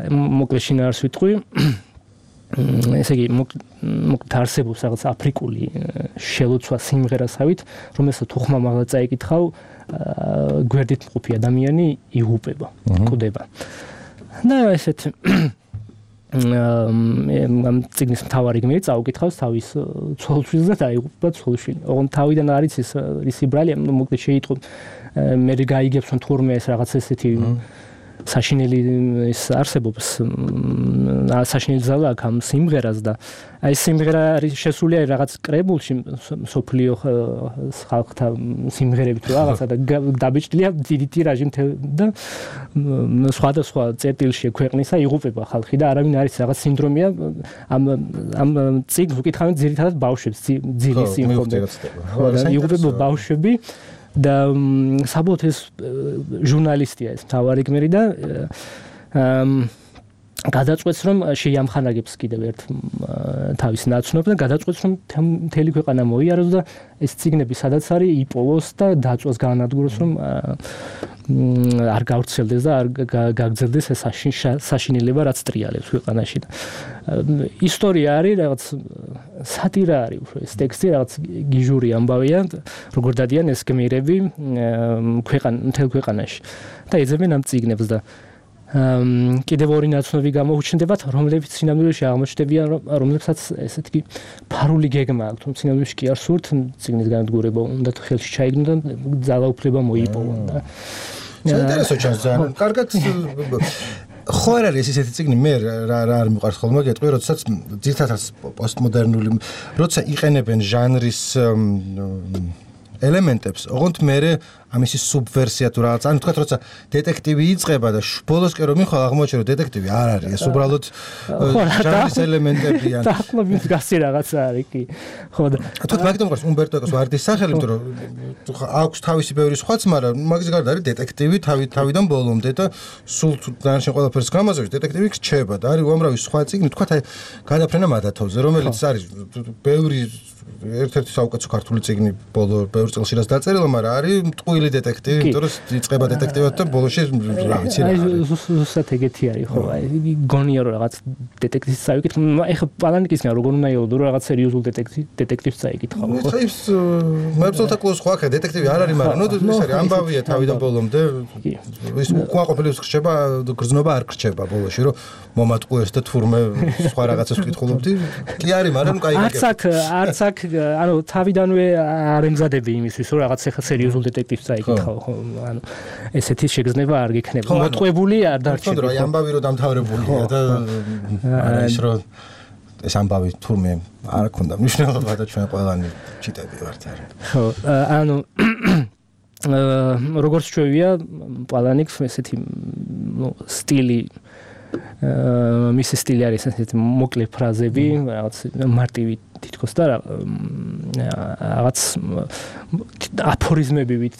მოკლედ შინაარს ვიტყვი. ესე იგი მოკლედ არსებობს რაღაც აფრიკული შელოცვა სიმღერასავით, რომელსაც თუ ხმამაღლა წაიკითხავ, გვერდით მყოფი ადამიანი იღუპება, კვდება. და ესეთ ამ წიგნის მთავარი გმირი წაუკითხავს თავის ცოლშვილს და დაიღუპება ცოლშვილი. ოღონდ თავიდან არის ის ისი ბრალი, მოკლედ შეიტყო მე გაიგებს რომ თურმე ეს რაღაც ესეთი საშინელი ის არსებობს საშინელი ზალა აქ ამ სიმღერას და აი სიმღერა არის შესული რაღაც კრებულში სოფლიო ხალხთა სიმღერებით რაღაცა და დაბეჭდილია დიდი ტირაჟი და სხვადასხვა წერტილში ქვეყნისა იღუპება ხალხი და არავინ არის რაღაც სინდრომია ამ წიგნს უკითხავენ ძირითადად ბავშვებს ძილის სიმღერები იღუპება ბავშვები და საბოლოოდ ეს ჟურნალისტია ეს მთავარი გმირი და გადაწყვეტს რომ შეიამხანაგებს კიდევ ერთ თავის ნაცნობს და გადაწყვეტს რომ მთელი ქვეყანა მოიაროს და ეს წიგნები სადაც არის იპოვოს და დაწვას გაანადგუროს რომ არ გავრცელდეს და არ გაგრძელდეს ეს საშინელება რაც ტრიალებს ქვეყანაში და ისტორია არის რაღაც სატირა არის უფრო ეს ტექსტი რაღაც გიჟური ამბავია როგორ დადიან ეს გმირები მთელ ქვეყანაში და ეძებენ ამ წიგნებს და კიდევ ორი ნაცნობი გამოუჩნდებათ, რომლებიც სინამდვილეში აღმოჩნდებიან, რომლებსაც ესეთი ფარული გეგმა აქვთ, რომ სინამდვილეში კი არ სურთ წიგნის განადგურება, უნდა ხელში ჩაიგდონ და ძალაუფლება მოიპოვონ და საინტერესო ჩანს ძალიან. კარგად ხო არ არის ესეთი წიგნი მე რა არ მიყვარს ხოლმე გეტყვი, როდესაც ძირთადად პოსტმოდერნული, როცა იყენებენ ჟანრის ელემენტებს, ოღონდ მე ამისი სუბვერსია თუ რაღაც, ანუ თქვა როცა დეტექტივი იწყება და ბოლოსკენ რომ მიხვალ აღმოჩნდა რომ დეტექტივი არ არის, ეს უბრალოდ ჟანრის ელემენტებია. დაახლოებით გასი რაღაცა არის კი. ხო და თქვა მაგიტომ ყავს უმბერტო ეკოს ვარდის სახელი, იმიტომ რომ აქვს თავისი ბევრი სხვაც, მაგრამ მაგის გარდა არის დეტექტივი თავიდან ბოლომდე და სულ დანარჩენ ყველაფერს გამაზრებს დეტექტივი რჩება და არის უამრავი სხვა წიგნი, თქვა აი გადაფრენა მადათოვზე, რომელიც არის ბევრი ერთ-ერთი საუკეთესო ქართული წიგნი ბოლო ბევრ ბევრ წელში რაც დაწერილა, მაგრამ არის მტყუილი დეტექტივი, იმიტომ რომ იწყება დეტექტივად და ბოლოში რა ვიცი რა. ზუსტად ეგეთი არის, ხო, აი გონია რომ რაღაც დეტექტივის წავიკითხო, ეხლა პალანიკისგან როგორ უნდა იოლო, რომ რაღაც სერიოზულ დეტექტივს წაიკითხავ, ხო? ის მებრძოლთა კლუბს ხო ახლა დეტექტივი არ არის, მაგრამ ნუ ის არის ამბავია თავიდან ბოლომდე. ის უკმაყოფილებს რჩება, გრძნობა არ რჩება ბოლოში, რომ მომატყუეს და თურმე სხვა რაღაცას ვკითხულობდი. კი არის, მაგრამ კაი არც აქ ანუ თავიდანვე არ ემზადები იმისთვის, რომ რაღაც ახლა სერიოზულ დეტექტივს წაიკითხავ, ხო? ანუ ესეთი შეგრძნება არ გექნება. მოტყუებული არ დარჩება. თუნდაც აი ამბავი რომ დამთავრებულია და არა ის რომ ეს ამბავი თურმე არ ქონდა მნიშვნელობა და ჩვენ ყველანი ჩიტები ვართ არა. ხო, ანუ როგორც ჩვევია პალანიკს ესეთი სტილი მისი სტილი არის ესეთი მოკლე ფრაზები, რაღაც მარტივი თითქოს და რაღაც აფორიზმებივით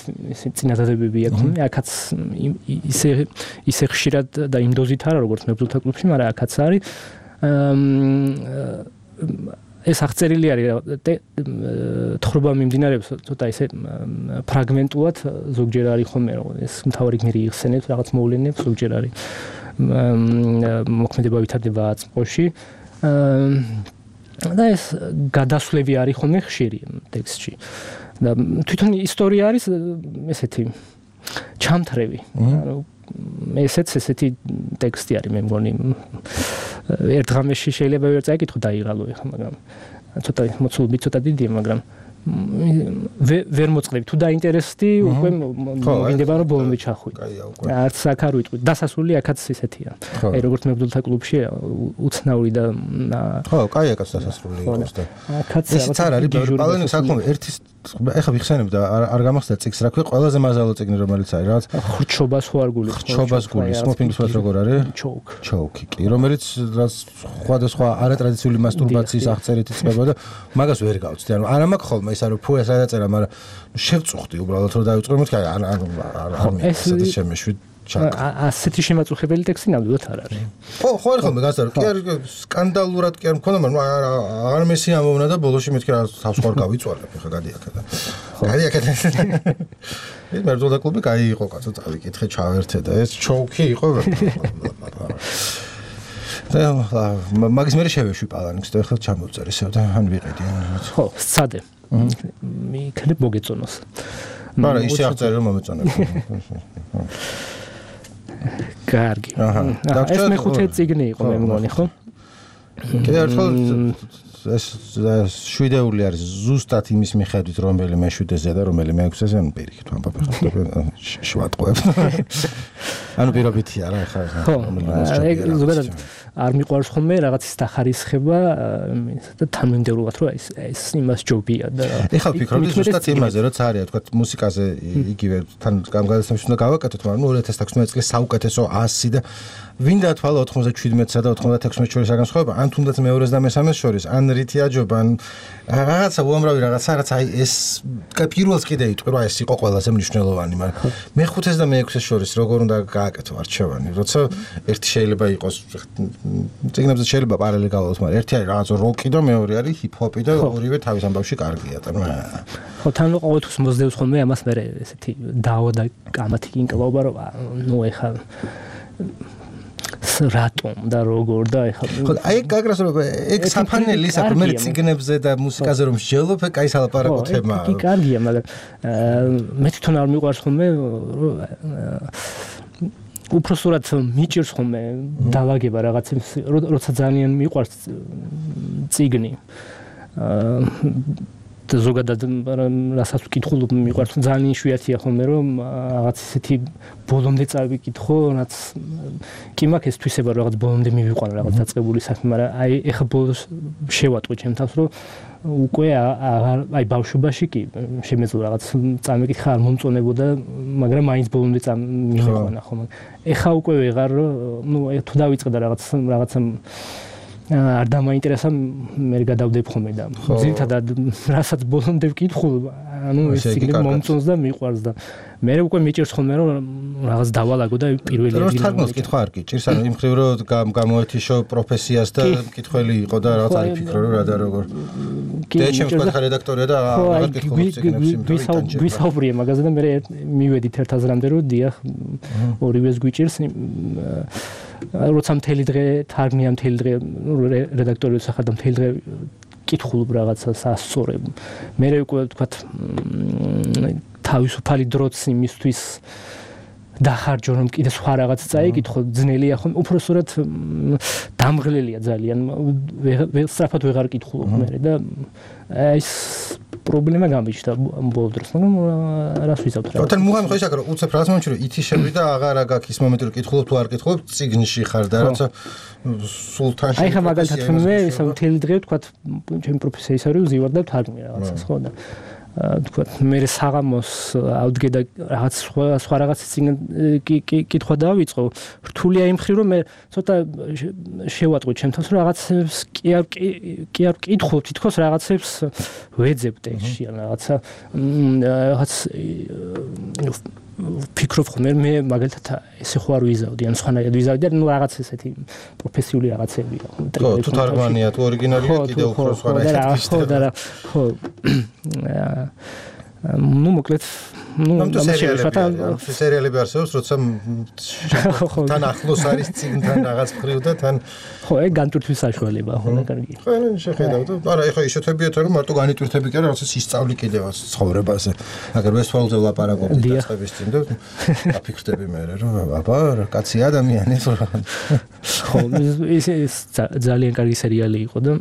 წინადადებები აქვს. აქაც ისე ხშირად და იმ დოზით არა როგორც მებრძოლთა კლუბში, მაგრამ აქაც არის ეს აღწერილი არის თხრობა მიმდინარეობს ცოტა ისე ფრაგმენტულად ზოგჯერ არის ხოლმე რომ ეს მთავარი გმირი იხსენებს რაღაც მოვლენებს ზოგჯერ არის მოქმედება ვითარდება წყოში და ეს გადასვლები არის ხოლმე ხშირი ტექსტში და თვითონ ისტორია არის ესეთი ჩამთრევი ანუ ესეც ესეთი ტექსტი არის მე მგონი ერთ ღამეში შეიძლება ვერ წაიკითხო დაიღალო ეხლა მაგრამ ცოტა მოცულობი ცოტა დიდია მაგრამ ვერ მოწყდები თუ დაინტერესდი უკვე მოგინდება რომ ბოლომდე ჩახვიდე არც აქ არ ვიტყვი დასასრული აქაც ისეთია აი როგორც მებრძოლთა კლუბში უცნაური და ხო კაი აქაც დასასრული იყოს და ეს არ არის პალენი საკმაოდ ერთის ეხლა ვიხსენებ და არ გამახსენდა წიგს რა ქვია ყველაზე მაზალო წიგნი რომელიც არის რაღაც ხრჩობას ხო არ გული ხრჩობას გული სმოფინგის ვართ როგორ არის ჩოუკი კი რომელიც სხვადასხვა არატრადიციული მასტურბაციის აღწერით იწყება და მაგას ვერ გავწდი ანუ არა მაქვს ხოლმე ის არის ფუეს არ დაწერა მაგრამ შევწუხდი უბრალოდ რომ დავიწყო მოთქი არ მეცადა შემეშვი ასეთი შემაწუხებელი ტექსტი ნამდვილად არ არის. ხო არ ხოლმე გასარო კი არის სკანდალურად კი არ მქონდა მაგრამ არ მესი ამოვნა და ბოლოში მეთქი რა თავს ხარ გავიწვალებ ხა გადიაკეთა. გადიაკეთა. ეს მებრძოლთა კლუბი კაი იყო კაცო წავიკითხე ჩავერთე და ეს ჩოუკი იყო. და მაგის მე შევეშვი პალანიკს და ახლა ჩამოვწერ ისევ და ან ვიყიდი. ხო, სცადე. მიქნებ მოგეწონოს. მაგრამ ისე აღწერე რომ მომეწონებ. კარგი. ეს მეხუთე წიგნი იყო მე მგონი, ხო? კიდევ ერთხელ ეს შვიდეული არის ზუსტად იმის მიხედვით რომელი მეშვიდეზე და რომელი მეექვსეზე ანუ პირიქით ვამბობ ახლა შვატყუებ. ანუ პირობითია რა ხა ეგ ზოგადად არ მიყვარს ხოლმე რაღაცის დახარისხება და თანმიმდევრულად რომ ეს იმას ჯობია და ეხლა ვფიქრობდი ზუსტად იმაზე რომ царია თქვა მუსიკაზე იგივე თან გამგადასამში უნდა გავაკეთოთ მაგრამ 2016 წლის საუკეთესო 100 და ვინდა თვალა 97-სა და 96-ს შორის განსხვავება ან თუნდაც მეორეს და მესამეს შორის ან რითი აჯობა ან რაღაცა უამრავი რაღაცა რაც აი ეს პირველს კიდე იტყვი რომ ეს იყო ყველაზე მნიშვნელოვანი მაგრამ მეხუთეს და მეექვსეს შორის როგორ უნდა გააკეთო არჩევანი როცა ერთი შეიძლება იყოს წიგნებზე შეიძლება პარალელი გავალოს მაგრამ ერთი არის რაღაც როკი და მეორე არის ჰიპ-ჰოპი და ორივე თავის ამბავში კარგია და ხო თან ყოველთვის მოსდევს ხოლმე ამას მე ესეთი დავა და კამათი კინკლობა რომ ნუ ეხა რატომ და როგორ და ეხლა ხო აი გაგრას რომ ეგ საფანელი ის აქვს მე ციგნებზე და მუსიკაზე რომ შეძლებ კაი სალაპარაკო თემაა კი კარგია მაგრამ მე თვითონ არ მიყვარს ხოლმე უпроსურად მიჭირს ხოლმე დავაგება რაღაცებს როცა ძალიან მიყვარს ციგნი და ზოგადად რასაც ვკითხულობ მიყვარს ძალიან იშვიათია ხოლმე რომ რაღაც ისეთი ბოლომდე წავიკითხო რაც კი მაქვს ეს თვისება რაღაც ბოლომდე მივიყვანა რაღაც დაწყებული საქმე მაგრამ აი ეხა ბოლოს შევატყვი ჩემ თავს რომ უკვე აი ბავშვობაში კი შემეძლო რაღაც წამიკითხა არ მომწონებოდა მაგრამ მაინც ბოლომდე მივიყვანა ხოლმე ეხა უკვე ვეღარ ნუ თუ დავიწყდა რაღაცა არ დამაინტერესა მე გადავდებ ხოლმე და ძირითადად რასაც ბოლომდე ვკითხულ ანუ ეს ციგნი მომწონს და მიყვარს და მე უკვე მიჭირს ხოლმე რომ რაღაც დავალაგო და პირველი ადგილი რომ თარგმნოს კითხვა არ გიჭირს ანუ იმ ხრივ რომ გამოეთიშო პროფესიას და მკითხველი იყო და რაღაც არ იფიქრო რომ რა და როგორ და რედაქტორია და აღარ კითხულობს ციგნებს გვისაუბრია მაგაზე და მე მივედით ერთ აზრამდე რომ დიახ ორივეს გვიჭირს როცა მთელი დღე თარგმნია მთელი დღე რედაქტორი სახარ და მთელი დღე კითხულობ რაღაცას ასწორებ მე უკვე ვთქვათ თავისუფალი დროც იმისთვის დახარჯო რომ კიდე სხვა რაღაც წაიკითხო ძნელია ხომ უпроსტად დამღლელია ძალიან სწრაფად ვეღარ კითხულობ მე და ეს პრობლემა გამიჩნდა ბოლო დროს მაგრამ რას ვიზავთ რა თან მუღამი ხო ისაკ რომ უცებ რას მომჩი რომ ითიშები და აღარ აგაკ ის მომენტი რომ კითხულობ თუ არ კითხულობ ციგნში ხარ და რაცა სულთანში აი ხა მაგალითად მე ისე მთელი დღე ვთქვათ ჩემი პროფესია ისე რომ ვზივარ და ვთარგმნი რაღაცას ხო და თქვა მე საღამოს ავდგე და რაღაც სხვა რაღაცის წინ კითხვა დავიწყო რთულია იმ ხრივ რომ მე ცოტა შევატყვი ჩემთავს რომ რაღაცებს კი არ კითხო თითქოს რაღაცებს ვეძებ ტექსტში ან რაღაც ფიქრობ ხომ მე მაგალითად ესე ხო არ ვიზავდი ან სხვანაირად ვიზავდი და ნუ რაღაც ესეთი პროფესიული რაღაცებია თუ თარგმანია თუ ორიგინალია კიდე უფრო სხვანაირად ხო ნუ მოკლედ სერიალები არსებობს როცა თან ახლოს არის წიგნთან რაღაც ხრივ და თან ხო ეგ განტვირთვის საშუალებაა ხო და კარგი ხო შეხედავთ არა ეხლა ისეთებიათ რომ მარტო განიტვირთები კი არა რაღაცა ისწავლი კიდევაც ცხოვრებაზე აგერ ვესტფალზე ვლაპარაკობთ დასწრების წინ და აფიქრდები მე რომ აბა კაცი ადამიანი ხო ეს ძალიან კარგი სერიალი იყო და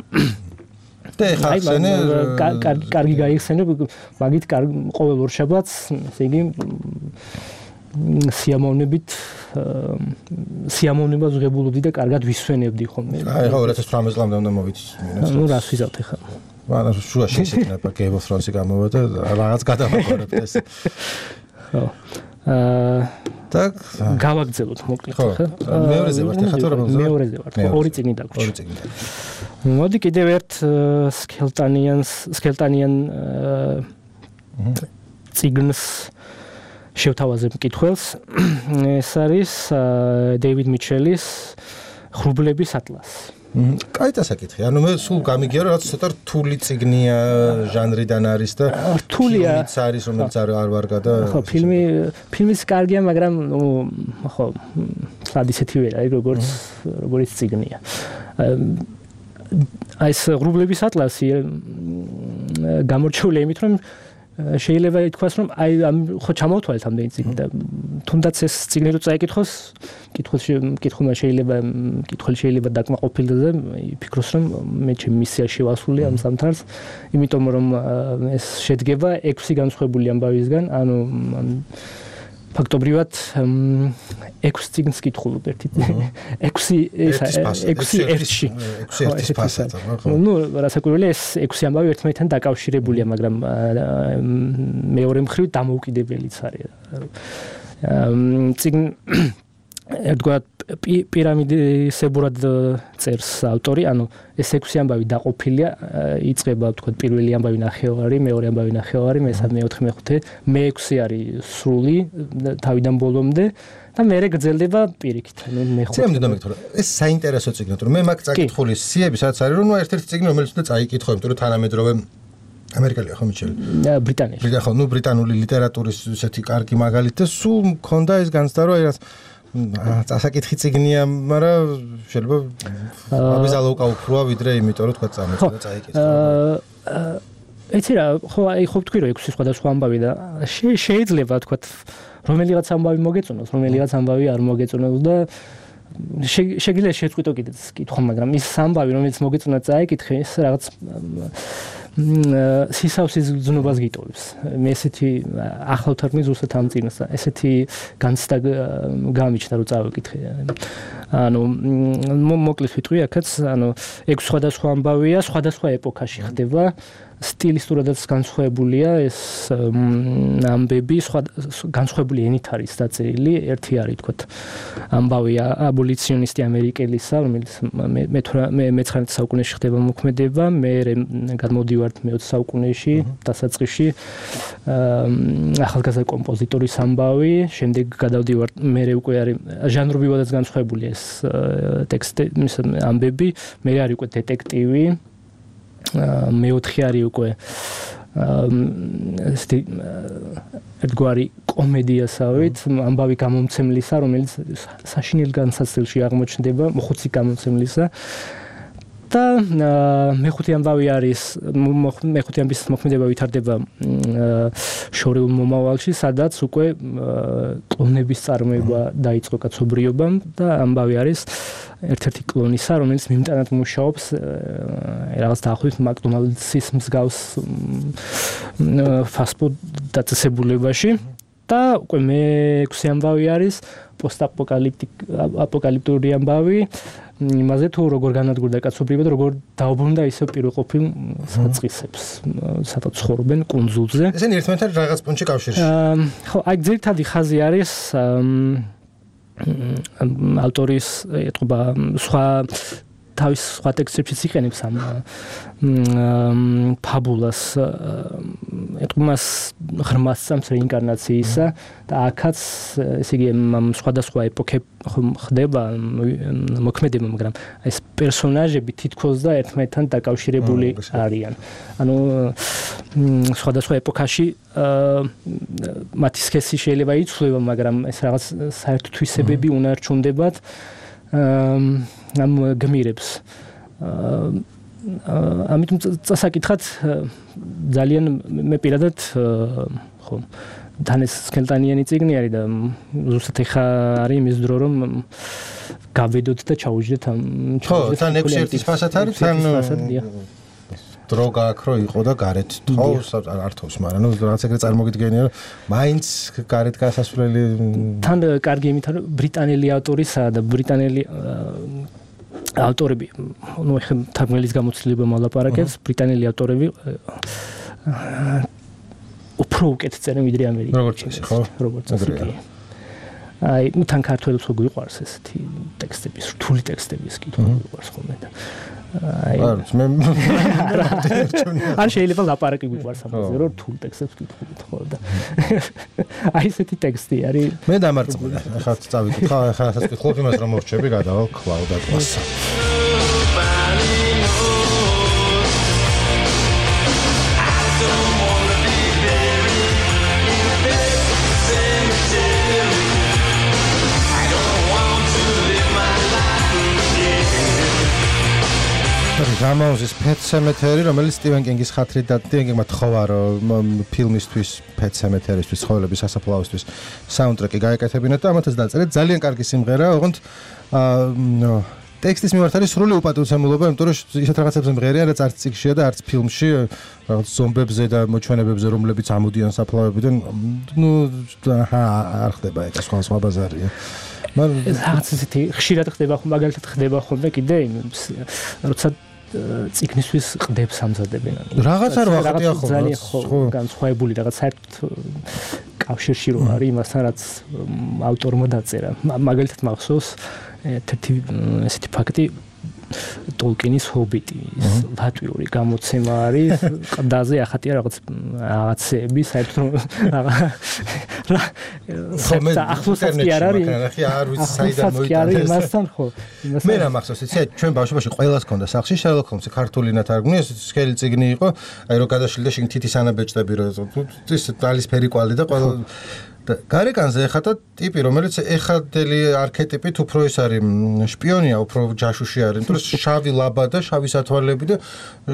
კარგი გაიხსენებ მაგით ყოველ ორ შაბათს ესე იგი სიამოვნებას ვღებულობდი და კარგად ვისვენებდი ხოლმე აი ხო 2018 წლამდე უნდა მოვიცი ნუ რას ვიზავთ ახლა მაგრამ შუაში ისეთნება Game of Thrones-ი გამოვა და რაღაც გადავაგორებთ ეს ხო так გავაგზავნოთ მოკლედ ხო მეორეზე ვართ ახლა თუ რა მეორეზე ვართ ორი წიგნი დაგვრჩა მოდი კიდევ ერთ სკელტანიან წიგნს შევთავაზებ მკითხველს ეს არის დეივიდ მიჩელის ღრუბლების ატლასი კაი დასაკითხი ანუ მე სულ გამიგია რომ რაც ცოტა რთული წიგნია ჟანრიდან არის და რთულია არის რომელიც არ ვარგა და ხო ფილმის კარგია მაგრამ ხო სად ისეთი ვერა როგორც წიგნია აი ეს ღრუბლების ატლასი გამორჩეულია იმით რომ შეიძლება ითქვას რომ აი ხო ჩამოვთვალეთ ამდენი წიგნი და თუნდაც ეს წიგნი რო წაიკითხოს კითხულმა შეიძლება დაკმაყოფილდეს და იფიქროს რომ მე ჩემი მისია შევასრულე ამ ზამთარს იმიტომ რომ ეს შედგება 6 განსხვავებული ამბავისგან ანუ ფაქტობრივად 6 წიგნს კითხულობ ერთი 6 ერთში ნუ რასაკვირველია ეს 6 ამბავი ერთმანეთთან დაკავშირებულია მაგრამ მეორე მხრივ დამოუკიდებელიც არის წიგნ ერთგვარად პირამიდისებურად წერს ავტორი ანუ ეს 6 ამბავი დაყოფილია იწყება ვთქვათ პირველი ამბავი ნახევარი მეორე ამბავი ნახევარი მესამე მეოთხე მეხუთე მე-6 არის სრული თავიდან ბოლომდე და მერე გრძელდება პირიქით ანუ მეხუთე წემდე დამეკითხა ეს საინტერესო წიგნია თუ მე მაგ წაკითხული სიები სადაც არის რომ ერთ-ერთი წიგნი რომელიც უნდა წაიკითხო იმიტომ რომ თანამედროვე ამერიკელია ხო მიჩელი ბრიტანელი ხო ნუ ბრიტანული ლიტერატურის ესეთი კარგი მაგალითი და სულ მქონდა ეს განცდა რომ აი რაც წასაკითხი წიგნია, მაგრამ შეიძლება აბიზალო უკაუფროა ვიდრე იმიტომ რომ თქვა წამოწა და წაიკითხა. ეცი რა, ხო აი ხო თქვი რომ 6 სხვადასხვა ამბავი და შეიძლება თქვა რომელიღაც ამბავი მოგეწონოს, რომელიღაც ამბავი არ მოგეწონოს და შეგიძლია შეწყვიტო კიდეც კითხვა, მაგრამ ის ამბავი რომელიც მოგეწონა წაიკითხე, ეს რაღაც სისავსის გზნობას გიტოვებს. მე ესეთი ახალ თარგმნის ზუსტად ამ წიგნს ესეთი განცდა გამიჩნდა რომ წავიკითხე. ანუ მოკლედ ვიტყვი აქაც, ანუ 6 სხვადასხვა ამბავია, სხვადასხვა ეპოქაში ხდება. სტილისტურადაც განსხვავებულია ეს ამბები, განსხვავებული ენით არის დაწერილი. ერთი არის თქო ამბავი აბოლიციონისტი ამერიკელისა, რომელიც მე-19 საუკუნეში ხდება მოქმედება, მე გადმოდივართ მე-20 საუკუნეში დასაწყისში ახალგაზრდა კომპოზიტორის ამბავი, შემდეგ გადავდივართ მე უკვე არის ჟანრობრივადაც განსხვავებული ეს ტექსტი, ამბები, მე არის უკვე დეტექტივი მეოთხე არის უკვე ერთგვარი კომედიასავით ამბავი გამომცემლისა, რომელიც საშინელ განსაცდელში აღმოჩნდება, მოხუცი გამომცემლისა. და მეხუთე ამბავი არის მეხუთე ამბის მოქმედება ვითარდება შორეულ მომავალში, სადაც უკვე კლონების წარმოება დაიწყო კაცობრიობამ და ამბავი არის ერთ-ერთი კლონისა, რომელიც მიმტანად მუშაობს რაღაც დაახლოებით მაკდონალდსის მსგავს ფასტფუდ დაწესებულებაში და უკვე მეექვსე ამბავი არის პოსტაპოკალიფტური ამბავი იმაზე თუ როგორ განადგურდა კაცობრიობა და როგორ დაუბრუნდა ისევ პირველყოფილ საწყისებს, სადაც ცხოვრობენ კუნძულზე. ესენი ერთმანეთთან რაღაც პუნქტში კავშირში. ხო, აი ძირითადი ხაზი არის ავტორის ეთყობა სხვა თავის სხვა ტექსტებშიც იყენებს ამ ფაბულას ეთყობას ღრმას წამს რეინკარნაციისა და აქაც ესე იგი სხვადასხვა ეპოქე ხდება მოქმედება, მაგრამ ეს პერსონაჟები თითქოს და ერთმანეთთან დაკავშირებული არიან. ანუ სხვადასხვა ეპოქაში მათი სქესი შეიძლება იცვლება, მაგრამ ეს რაღაც საერთო თვისებები უნარჩუნდებათ ამ გმირებს. ამიტომ წასაკითხად ძალიან მე პირადად ხო დანეს სკელტანიანი წიგნი არის და ზუსტად ეხა არის იმის დრო რომ გავედოთ და ჩაუჯდეთ ამ ხო თან 6 ერთის ფასად არის თან დრო გაქვს რომ იყო და გარეთ თავს ართავს, მაგრამ ნუ რაღაც ეგრე წარმოგიდგენია რომ მაინც გარეთ გასასვლელი თან კარგი იმითარ ბრიტანელი ავტორისა და ბრიტანელი ავტორები, ნუ ეხლა თარგმნელის გამოცდილება მოლაპარაკებს, ბრიტანელი ავტორები უფრო უკეთ წერენ ვიდრე ამერიკაში. როგორც ასე. აი, ნუ თან ქართველებს რო გვიყვარს ესეთი ტექსტები, რთული ტექსტების კითხვა გვიყვარს ხოლმე და აი მე არ შეიძლება ლაპარაკი გვიყვარს ამაზე, რომ რთულ ტექსტებს კითხულობთ ხო და აი ესეთი ტექსტი არის. მე დამარწმუნე. ახლა წავიკითხა, ახლა ასაც კითხულობ იმას რომ მორჩები გადავალ კლაუდატვას. გამაუზის Pet Sematary, რომელიც სტივენ კინგის ხათრით და სტივენ კინგმა თხოვა რომ ფილმისთვის Pet Sematary-ისთვის ცხოვრების სასაფლაოსთვის საუნდტრეკი გაეკეთებინა და ამათაც დაწერეთ. ძალიან კარგი სიმღერა, ოღონდ ტექსტის მიმართ არის სრული უპატივცემულობა, იმიტომ რომ ისეთ რაღაცებზე მღერია, რაც არც წიგნშია და არც ფილმში, რაღაც ზომბებზე და მოჩვენებებზე, რომლებიც ამოდიან საფლავებიდან, ნუ არ ხდება ეგ სხვა ბაზარია. რაღაც ისეთი ხშირად ხდება ხომ, მაგალითად ხდება ხოლმე კიდე როცა წიგნისთვის ყდებს ამზადებენ. რაღაც არ ვახტია ხოლმე. ძალიან ხო განსხვავებული რაღაც საერთოდ კავშირში რო არის იმასთან, რაც ავტორმა დაწერა. მაგალითად მახსოვს ერთი ესეთი ფაქტი ტოლკინის ჰობიტი, ლატვიური გამოცემა არის, ყდაზე ახატია რაღაცეები, საერთოდ ახლოსაც კი არ არის. არ ვიცი საიდან მოიტანეს. იმასთან ხო. მე რა მახსოვს, იცი, ჩვენ ბავშვობაში ყველას ჰქონდა სახში Sherlock Holmes-ი ქართული ნათარგმნი, ეს სქელი წიგნი იყო, აი რო გადაშლიდა შიგნით თითის ანაბეჭდები რო ის ალისფერი კვალი და ყველა და გარეკანზე ეხადა ტიპი, რომელიც ეხადელი არქეტიპით უფრო ის არის შპიონია, უფრო ჯაშუში არის, იმიტომ რომ შავი ლაბა და შავი სათვალები და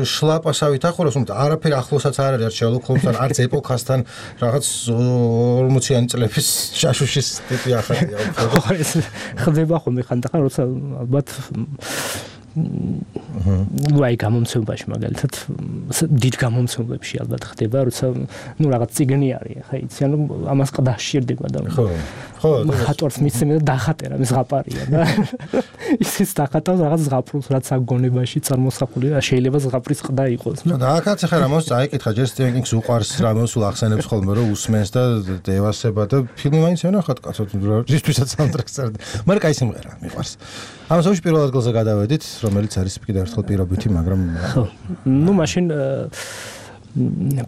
შლაპასავით ახურავს, არაფერი ახლოსაც არ არის Sherlock Holmes-თან, არც ეპოქასთან, რაღაც 40-იანი წლების ჯაშუშის ტიპი ახალია უფრო. ხო, ეს ხდება ხოლმე ხანდახან, როცა ალბათ ვაი გამომცემლობაში მაგალითად დიდ გამომცემლებში ალბათ ხდება, როცა ნუ რაღაც წიგნი არის, ხა იცი, ანუ ამას ყდა სჭირდება და ხო ხატვარს მისცემენ და დახატერა ეს ზღაპარია და ისიც დახატავს რაღაც ზღაპრს, რაც აგონებაში წარმოსახული და შეიძლება ზღაპრის ყდა იყოს. და აქაც ახლა რამოს წაიკითხა, ჯერ სტივენ კინგს უყვარს რამოს ახსენებს ხოლმე რომ უსმენს და ევასება და ფილმი მაინც ენახათ კაცო, რისთვისაც საუნდტრეკს წერდა. მაგრამ კაი სიმღერა მიყვარს. ამ სულ პირველ ადგილზე გადავედით, რომელიც არის კიდევ ერთხელ პირობითი, მაგრამ ნუ მაშინ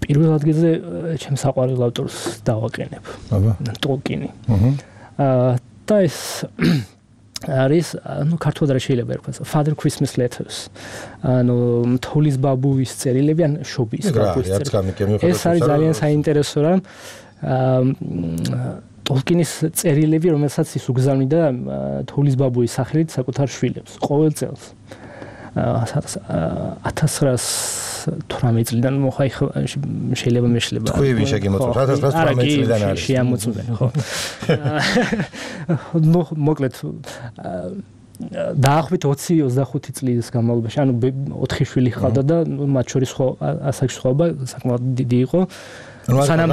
პირველ ადგილზე ჩემს საყვარელ ავტორს დავაყენებ. აბა, ტოლკინი. და ეს არის ქართულად რა შეიძლება ერქვას Father Christmas letters თოვლის ბაბუის წერილები ან შობის ბაბუის წერილები ეს არის ძალიან საინტერესო რა ტოლკინის წერილები რომელსაც ის უგზავნიდა თოვლის ბაბუის სახელით საკუთარ შვილებს ყოველ წელს 1918 წლიდან მოხაი შეიძლება მეშლება თქვი შეგიმოწმოთ 1918 წლიდან არის შეამოწმდნენ ხო მოკლედ დაახლოებით 20-25 წლის განმავლობაში ანუ 4 შვილი ჰყავდა და მათ შორის ხო ასაკში სხვაობა საკმაოდ დიდი იყო სანამ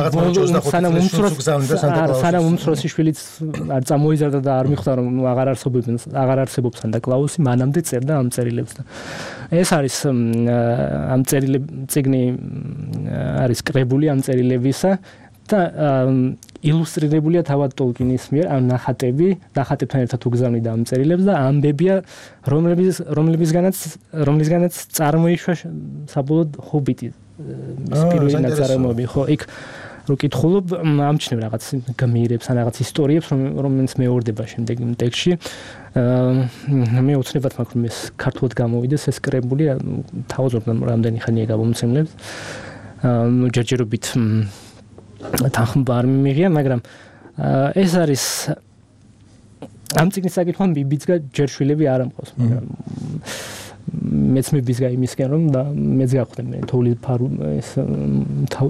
უმცროსი შვილიც არ წამოიზარდა და არ მიხვდა რომ აღარ არსებობს სანტა-კლაუსი მანამდე წერდა ამ წერილებს და ეს არის ამ წიგნი არის კრებული ამ წერილებისა და ილუსტრირებულია თავად ტოლკინის მიერ ამ ნახატებთან ერთად უგზავნიდა ამ წერილებს და ამბებია რომლისგანაც წარმოიშვა საბოლოოდ ჰობიტი ის პირველი ნაწარმოები ხო იქ რო კითხულობ ამჩნევ რაღაც გმირებს ან რაღაც ისტორიებს რომელიც მეორდება შემდეგ იმ ტექსტში მე უცნებად მაქვს რომ ეს ქართულად გამოვიდეს ეს კრებული თავაზობ რამდენი ხანია გამომცემლებს ჯერჯერობით თანხმობა არ მიმიღია მაგრამ ეს არის ამ წიგნის საკითხთან ბიბიცგა ჯერ შვილები არ ამყავს მაგრამ მეც მიბიზგა იმისკენ რომ და მეც გავხდე მე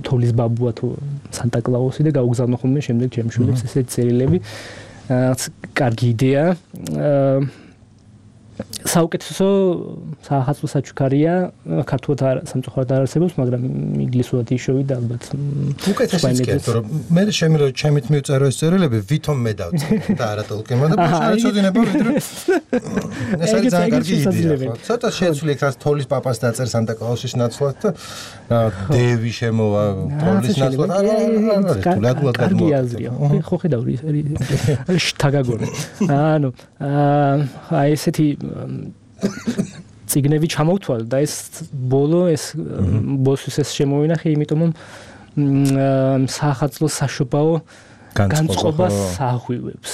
თოვლის ბაბუა თუ სანტა-კლაუსი და გავგზავნო ხოლმე შემდეგ ჩემს შვილებს ესეთი წერილები კარგი იდეა საუკეთესო საახალწლო საჩუქარია ქართულად სამწუხაროდ არ არსებობს მაგრამ ინგლისურად იშოვი და ალბათ უკეთესიც კეთო რომ მე შემიძლია ჩემით მივწერო ეს წერილები ვითომ მე დავწერე და არა ტოლკინმა და შეეცოდინება ვიდრე ეს არის ძალიან კარგი იდეა ცოტა შეცვლი ეს თოვლის პაპას დაწერს სანტა-კლაუსის ნაცვლად და დევი შემოვა თოვლის ნაცვლად არა კარგი აზრია ხო ხედავ შთაგაგონე ანუ აი ესეთი ციგნები ჩამოვთვალ და ეს ბოლოს ეს შემოვინახე იმიტომ რომ საახალწლო საშობაო განწყობას აღვივებს.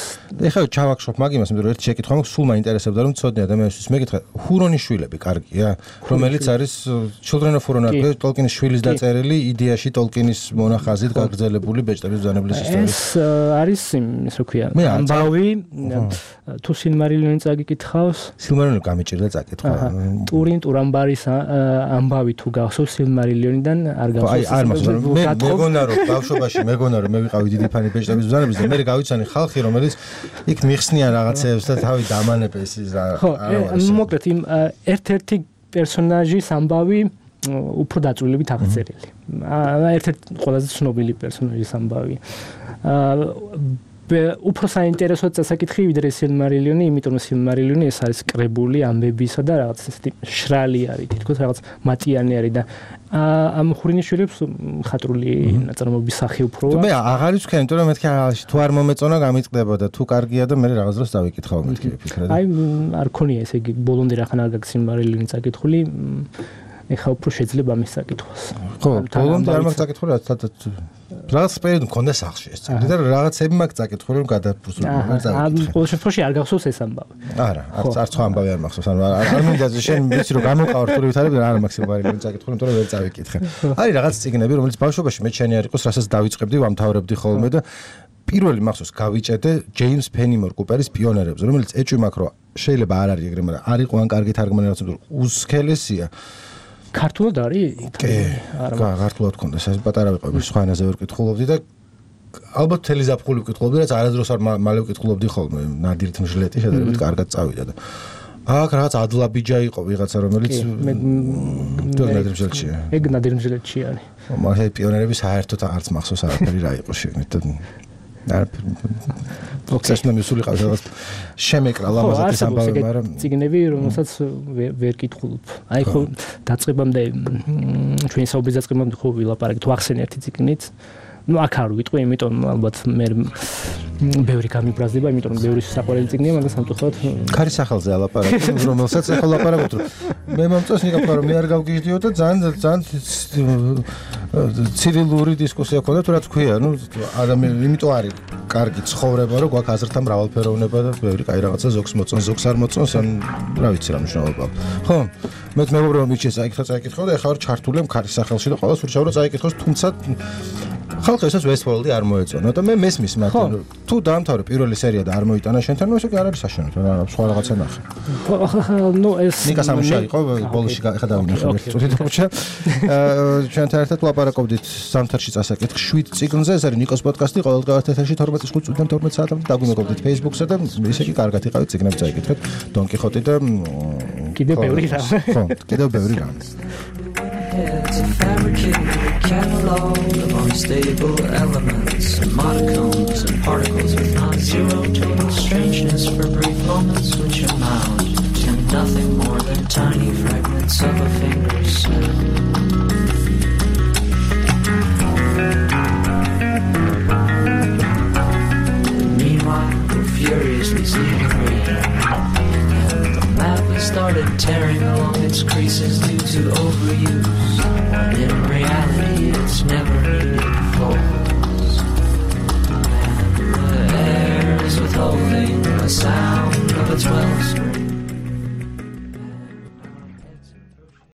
ეხლა ჩავახშობ მაგ იმას, იმიტომ რომ ერთი შეკითხვა მაქვს, სულ მაინტერესებდა რომ ცოდნე ადამიანისთვის მეკითხა, ჰურონის შვილები კარგია, რომელიც არის Children of Huron, ტოლკინის შვილის დაწერილი, იდეაში ტოლკინის მონახაზით გაგრძელებული ბეჭდების ბრძანებლის ისტორია. ეს არის ის რო ქვია, ამბავი, თუ სილმარილიონი წაგიკითხავს, სილმარილიონი გამიჭირდა წაკითხვა. ტურამბარის ამბავი თუ გახსოვს სილმარილიონიდან არ გახსოვს. არ მახსოვს. მე მეგონა რომ ბავშვობაში მეგონა რომ მე ვიყავი დიდი ფანი ბეჭდების ბრძანების და მე გავიცანი ხალხი რომელიც იქ მიხსნიან რაღაცებს და თავი დამანებს ის ხო, მოკლედ იმ ერთ-ერთი პერსონაჟის ამბავი უფრო დაწვრილებით აღწერილი. ერთ-ერთი ყველაზე ცნობილი პერსონაჟის ამბავი. უფრო საინტერესო წასაკითხი ვიდრე სილმარილიონი, იმიტომ რომ სილმარილიონი ეს არის კრებული ამბებისა და რაღაც ესეთი შრალი არის, თითქოს რაღაც მატიანე არის და ამ ხურინის შვილებს ხატრული ნაწარმოების სახე უფროა. მე აღარ ვიცი, იმიტომ რომ მეთქი თუ არ მომეწონა გამიწყდება და თუ კარგია და მე რაღაც დროს დავიკითხავ მეთქი ვფიქრე. აი არ ქონია ესე იგი ბოლომდე რახან არ გაქვს სილმარილიონი წაკითხული. ეხა უფრო შეიძლება ამის საკითხოს. ხო, ბოლომდე არ მაქვს საკითხული, რაღაც პერიოდი მქონდა სახლში ეს წელი და რაღაცები მაქვს საკითხული, რომ გადაფრუსული არ წავიკითხე. ყოველ შემთხვევაში არ გახსოვს ეს ამბავი. არა, არც სხვა ამბავი არ მახსოვს, ანუ არ მინდა შენ ვიცი რომ გამოვყავ რთული ვითარები და არ მაქვს სილმარილიონი საკითხული, იმიტომ რომ ვერ წავიკითხე. არის რაღაც წიგნები, რომელიც ბავშვობაში მე შენი არ იყოს, რასაც დავიწყებდი, ვამთავრებდი ხოლმე და პირველი მახსოვს გავიჭედე ჯეიმს ფენიმორ კუპერის პიონერებზე, რომელიც ეჭვი მაქვს რომ შეიძლება არ არის ეგრე, მაგრამ არ იყო ან კარგი თარგმანი რაღაც უსქელესია. ქართულად არის? არა, ქართულად გქონდა, ეს პატარა ვიყავი, სხვა ენაზე ვერ ვკითხულობდი და ალბათ თელი ზაფხული ვკითხულობდი, რაც არადროს არ მალე ვკითხულობდი ხოლმე, ნადირით მჟლეტი შედარებით კარგად წავიდა და აქ რაღაც ადლაბიჯა იყო ვიღაცა, რომელიც ნადირ მჟლეტშია. ეგ ნადირ მჟლეტში არის. მაგრამ პიონერები საერთოდ არც მახსოვს არაფერი რა იყო შეგნით და პროცესმა მისულიყავს რაღაც შემეკრა ლამაზად ის ამბავი, მაგრამ ციგნები, რომელსაც ვერ კითხულობ. აი ხო დაწყებამდე ჩვენი საუბრის დაწყებამდე ხო ვილაპარაკეთ ახსენე ერთი ციგნით, ну აქ არ ვიტყვი, იმიტომ ალბათ მე ბევრი გამიბრაზდება, იმიტომ რომ ბევრი საყვარელი წიგნია, მაგრამ სამწუხაროდ ქარის სახელზე ალაპარაკე, რომელსაც ახლა ლაპარაკობთ, მე მომწონს ნიკაფა რომ მე არ გავგიჟდიო და ძალიან ცივილი დისკუსია ქონდა, თუ რაც ქვია, ну ადამიანი იმიტომ არის კარგი ცხოვრება, რომ გვაქვს აზრთა მრავალფეროვნება და ბევრი კაი რაღაცა ზოგს მოწონს, ზოგს არ მოწონს, ან რა ვიცი რა მნიშვნელობა აქვს. ხო? მე მეგობრებო მიჩეს წაიკითხო და ეხლა ვარ ჩართული ქარის სახელში და ყოველს ურჩევ რომ წაიკითხოს, თუმცა ხალხი ესაც Westworld-ი არ მოეწონა და მე მესმის მათ თუ დაამთავრე პირველი სერია და არ მოიტანა შენთან, ნუ ესე კი არ არის საშენოთ, რა სხვა რაღაცა ნახე. ну ეს ნიკა სამუშა იყო ბოლოში ხა დავინახე ერთ წუთით ხუჩა. ჩვენთან ერთად ლაპარაკობდით ზამთარში წასაკითხ 7 წიგნზე, ეს არის ნიკოს პოდკასტი, ყოველდღიურად ეთერში 12:05 წუთიდან 12 საათამდე დაგვიმეგობრდით Facebook-ზე და ისე კი კარგად იყავით წიგნებს წაიკითხეთ, Don Quixote და კიდევ ბევრი რამ. ხო, კიდევ ბევრი რამ. It's a fabricated catalog of unstable elements and monocones and particles with non-zero total strangeness for brief moments which amount to nothing more than tiny fragments of a finger snap. Meanwhile, we're furiously seeing green. Started tearing along its creases due to overuse, when in reality it's never needed folds. And the air is withholding the sound of its wellspring.